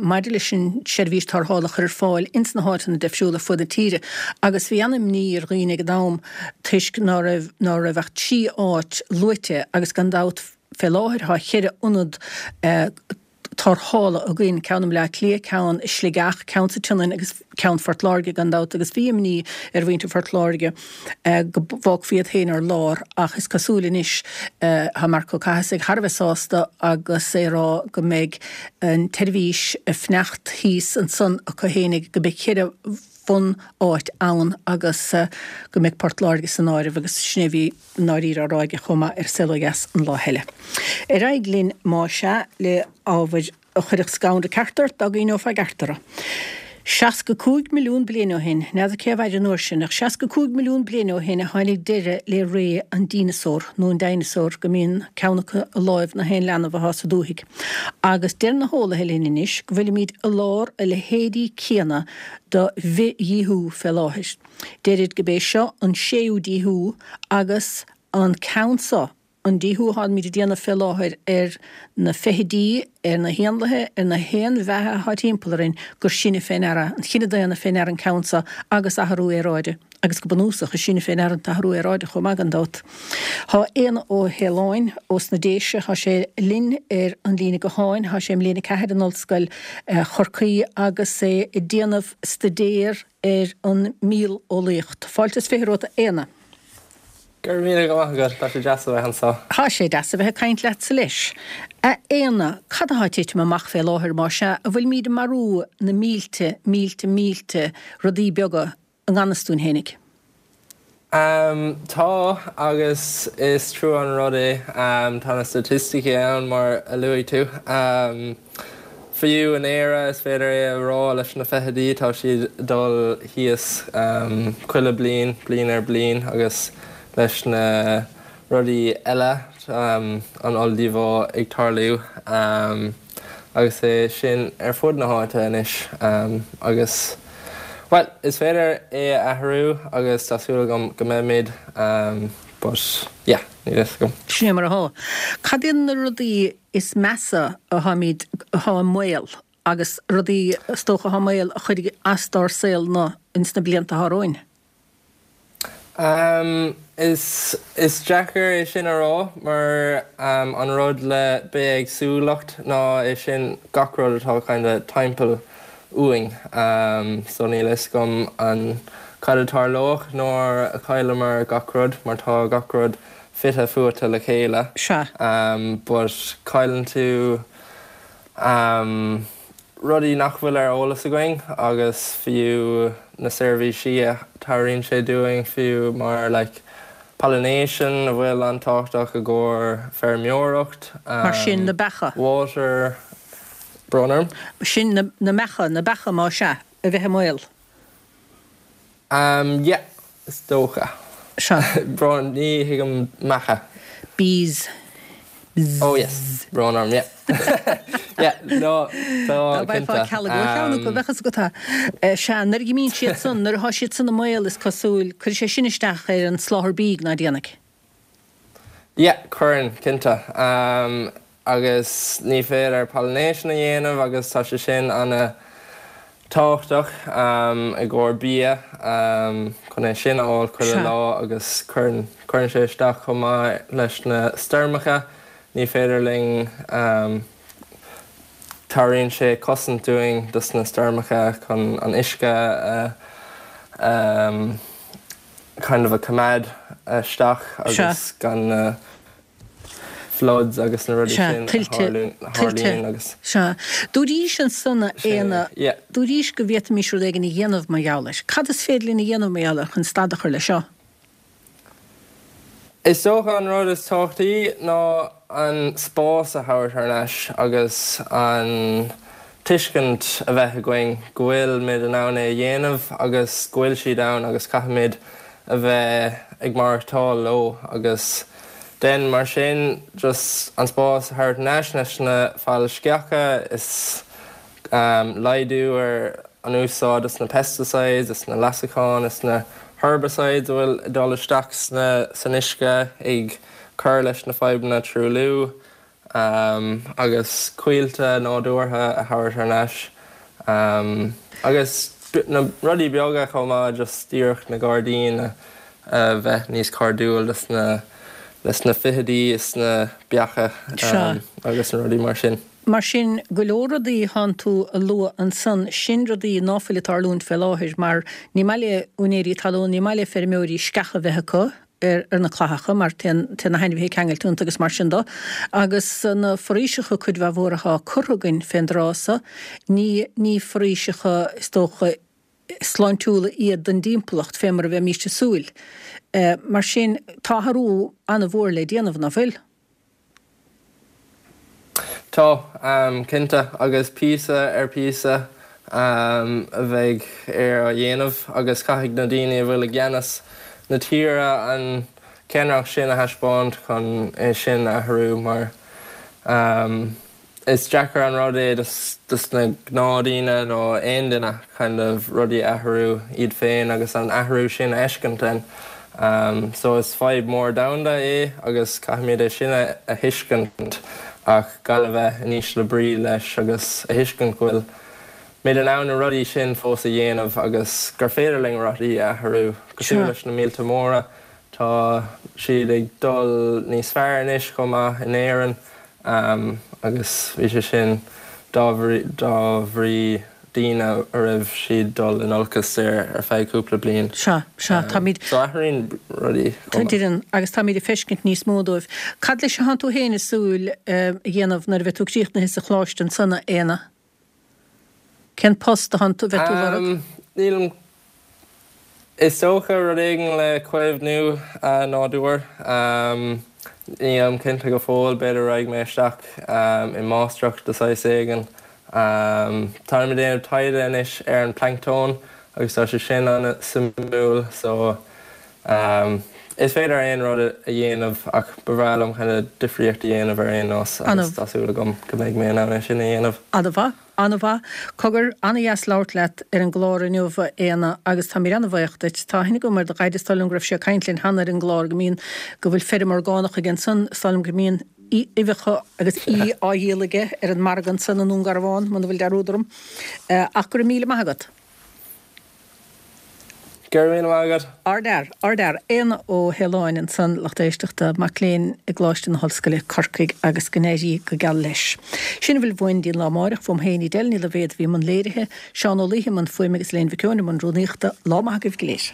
maidir leis an tseirbhís tarrthála a chur ar fáil ins na háiteanna difriúla fud na tíre agus bhí an-imní ar dhaoine ag an am toisc ná raibh ná raibh ach trí áit luaite agus gan dabht fé láthair tá cheithre ionad tarrthála againn, ceann i mBleá Cliath, ceann i Sligeach, ceann sa tSionainn agus ceann Phort Láirge gan dabht agus bhí imní ar mhuintir Phort Láirge go bhfágfaí iad féin ar lár ach is cosúil anois tá Marc Ó Cathasaigh thar a bheith sásta agus é ag rá go mbeidh an tseirbhís ag fanacht thíos ansan acu fhéinig, go mbeidh ceithre bhun-áit ann agus go mbeidh Port Láirge san áireamh agus sin é a bhí i ndáiríre á rá aige chomh maith ar Saol Ó Dheas an lá eile. Ar aghaidh linn má sea le ábhair a chuirfeadh scanradh ceart ort dá gcuimhneofá i gceart orthu. Seasca cúig milliún bliain ó shin, n'fheadar cé a mhair an uair sin, ach seasca cúig milliún bliain ó shin a tháinig deireadh le ré an dineasár, nó an dinosaur, go mbíonn ceann acu i láimh na haon leanbh atá sa dúthaigh. Agus deir na heolaithe linn anois go bhfuilimid i lár a leithéidí céanna de bhithdhíothú fé láthair. Deirid gurb é seo an séú díothú agus an ceann seo an díothú atáimid ag déanamh fé láthair ar na feithidí, ar na héanlaithe, ar na haon bheatha atá timpeall orainn, gur sinne fé ndeara, an chine daonna fé ndeara an ceann seo agus athrú aeráide. Agus go bunúsach, is sinne fé ndeara an t-athrú aeráide chomh maith gan dabht. Tá Éanna Ó hAoláin ós na Déise, tá sé linn ar an líne gutháin, tá sé i mbliain a ceathair in Ollscoil Chorcaí agus é ag déanamh staidéar ar an míoleolaíocht. Fáilte is fiche romhat a Éanna. Go raibh míle maith agat, tá sé deas a bheith anseo. Tá sé deas a bheith ag caint leatsa leis. A Éanna, cad atá ag titim amach fé láthair, más ea, a bhfuilimid ag marú na mílte, mílte, mílte rudaí beaga i ngan fhios dúinn fhéinig? Um, tá agus is trua an rud é um, tá na staitisticí ann mar a luaigh tú. Um, Fiú in Éire is féidir é a rá leis na feithidí tá siad dul thíos um, chuile bliain, bliain ar bliain agus leis na rudaí eile um, an olldíobháil ag tarlú um, agus é sin ar fud na háite anois um, agus well, is féidir é a athrú agus tá súil agam go mbeimid um, but yeah, níl fhios agam. Sin é mar atá. Cad iad na rudaí is measa atáimid atá i mbaol agus rudaí is dócha atá i mbaol a chuirfidh as dár saol na ins na blianta atá romhainn? Um, is, is deacair é sin a rá mar um, an rud le bithéagsúlacht ná é sin gach rud atá kind of timpeall uainn. Um, so níl fhios agam an cad a tharlódh nuair a chailleamar gach rud mar tá gach rud fite fuaite le chéile. Sea. Um, but cailleann tú um, rudaí nach bhfuil ar eolas againn agus fiú na seirbhísí a thabhraíonn sé dúinn fiú mar like, pollination a bhfuil an-tábhachtach i gcomhair feirmeoireacht. Um, Mar sin na beacha. Water brón orm. Sin na, na meacha, na beacha má sea, a bheith i mbaol. Um, yeah, is dócha. Sea. Brón ní thuigim meacha. Bees. Oh yes, brón orm, yeah. yeah, no, Dá mbeifeá cealg ó cheann acu bheadh fhios agat. Sea, nuair a imíonn siad san, nuair atá siad san i mbaol is cosúil, cuirfidh sé sin isteach ar an soláthar bídh ná déanfaidh. Yeah, cuireann, cinnte. Um, agus ní féidir pollination a dhéanamh agus tá sé sin an tábhachtach um, i gcomhair bia um, chun é sin a fháil chuile lá agus cuireann cuireann sé isteach chomh maith leis na stoirmeacha ní féidir linn um, tabhraíonn sé cosaint dúinn dos na stoirmeacha chun an uisce uh, um, kind of a coimeád isteach agus gan na floods agus na rudaí sin a tharlaíonn agus. Sea. Dúraís ansan a Éanna, dúraís go bhféadfaimis rud éigin a dhéanamh mar gheall air. Cad is féidir linn a dhéanamh mar gheall air chun stad a chur leis seo? Is dócha an rud is tábhachtaí ná an spás a thabhairt thar n-ais agus an tuiscint a bheith againn go bhfuil muid in ann é a dhéanamh agus go bhfuil siad ann agus caithfimid a bheith ag maireachtáil leo agus den mar sin just an spás a thabhairt thar n-ais leis na fál sceacha is um, laghdú ar an úsáid is na pesticides is na leasacháin is na herbicides a bhfuil ag dul isteach sna san uisce ag cur leis na fadhbanna truailliú um, agus coillte nádúrtha a thabhairt thar n-ais um, agus na rudaí beaga chomh maith just díreach na gairdíní a, a bheith níos cairdiúil leis na leis na feithidí is na beacha um, agus na rudaí mar sin. Mar sin go leor rudaí thánn tú a lua ansan sin rudaí ná fuil ag tarlúint fé láthair mar ní maith le úinéirí talún, ní maith le feirmeoirí sceacha bheith acu ar, ar na clathacha mar téann na hainmhithe ceangailte iontu agus mar sin de agus na foraoiseacha cuid mhaith mhór atá curtha againn fén dtráth so ní ní foraoiseacha is dócha sláintiúla iad don dtimpeallacht fé mar a bheimís ag súil. Mar sin tá athrú an-mhór le déanamh ná fuil? Tá, um, cinnte agus píosa ar píosa um, a bheidh ar a dhéanamh agus caithfidh na daoine a bhfuil i gceannas na tíre an ceannaireacht sin a thaispeáint chun é sin a athrú mar um, is deacair an rud é dos, dos na gnáthdhaoine nó aon duine kind of rudaí athrú iad féin agus an athrú sin a fheiscint So is fadhb mór domhanda é agus caithfimid é sin a thuiscint ach gan a bheith in ísle brí leis agus a thuiscint go bhfuil muid in ann na rudaí sin fós a dhéanamh agus gur féidir linn rudaí a athrú. Cosúil leis na míolta móra, tá siad ag dul níos fearr anois chomh maith in Éirinn agus bhí sé sin dá bhrí daoine a raibh siad dul in olcas ar ar feadh cúpla bliain. Sea, sea, táimid. So athraíonn rudaí chomh maith. Agus táimid ag feiscint níos mó dóibh. Cad leis atánn tú féin ag súil a dhéanamh nuair a bheidh tú críochnaithe sa choláiste ansan, a Éanna? Cén post a bheidh tú ag lorg? Nílim. Is dócha rud éigin le caomhnú nádúir. Nílim cinnte go fóill, b'fhéidir raghaidh mé isteach i máistreacht de saghas éigin. Táim ag déanamh taighde anois ar an planctón agus tá sé sin an-suimiúil so is féidir aon rud a dhéanamh ach ba bhreá liom kind of difríocht a dhéanamh ar aon nós agus tá súil agam go mbeidh mé in ann é sin a dhéanamh. An-mhaith, an-mhaith. Cogar, an-dheas labhairt leat ar an gclár inniu, a Éanna, agus táimid an-bhuíoch duit. Tá aithne agam ar do dhaid, is dóigh liom go raibh sé ag caint linn cheana ar an gclár go mbíonn, go bhfuil feirm orgánach aige ansan, is dóigh liom go mbíonn uibheacha agus í á dhíol aige ar an margadh ansan i nDún Garbhán, muna bhfuil dearúd orm. Ach go raibh míle maith agat. Go raibh míle maith agat. Ardfhear, ardfhear. Éanna Ó hAoláin ansan, lucht éisteachta, mac léinn i gColáiste na hOllscoile, Corcaigh, agus go n-éirí go geal leis. Sin a bhfuil uainn dtí'n lá amáireach, uaim féin Edel Ní Loibhéad a bhí i mbun léirithe, Seán Ó Laoithe i mbun fuaime agus Elaine Mhic Eoin i mbun rúnaíochta. Lá maith agaibh go léir.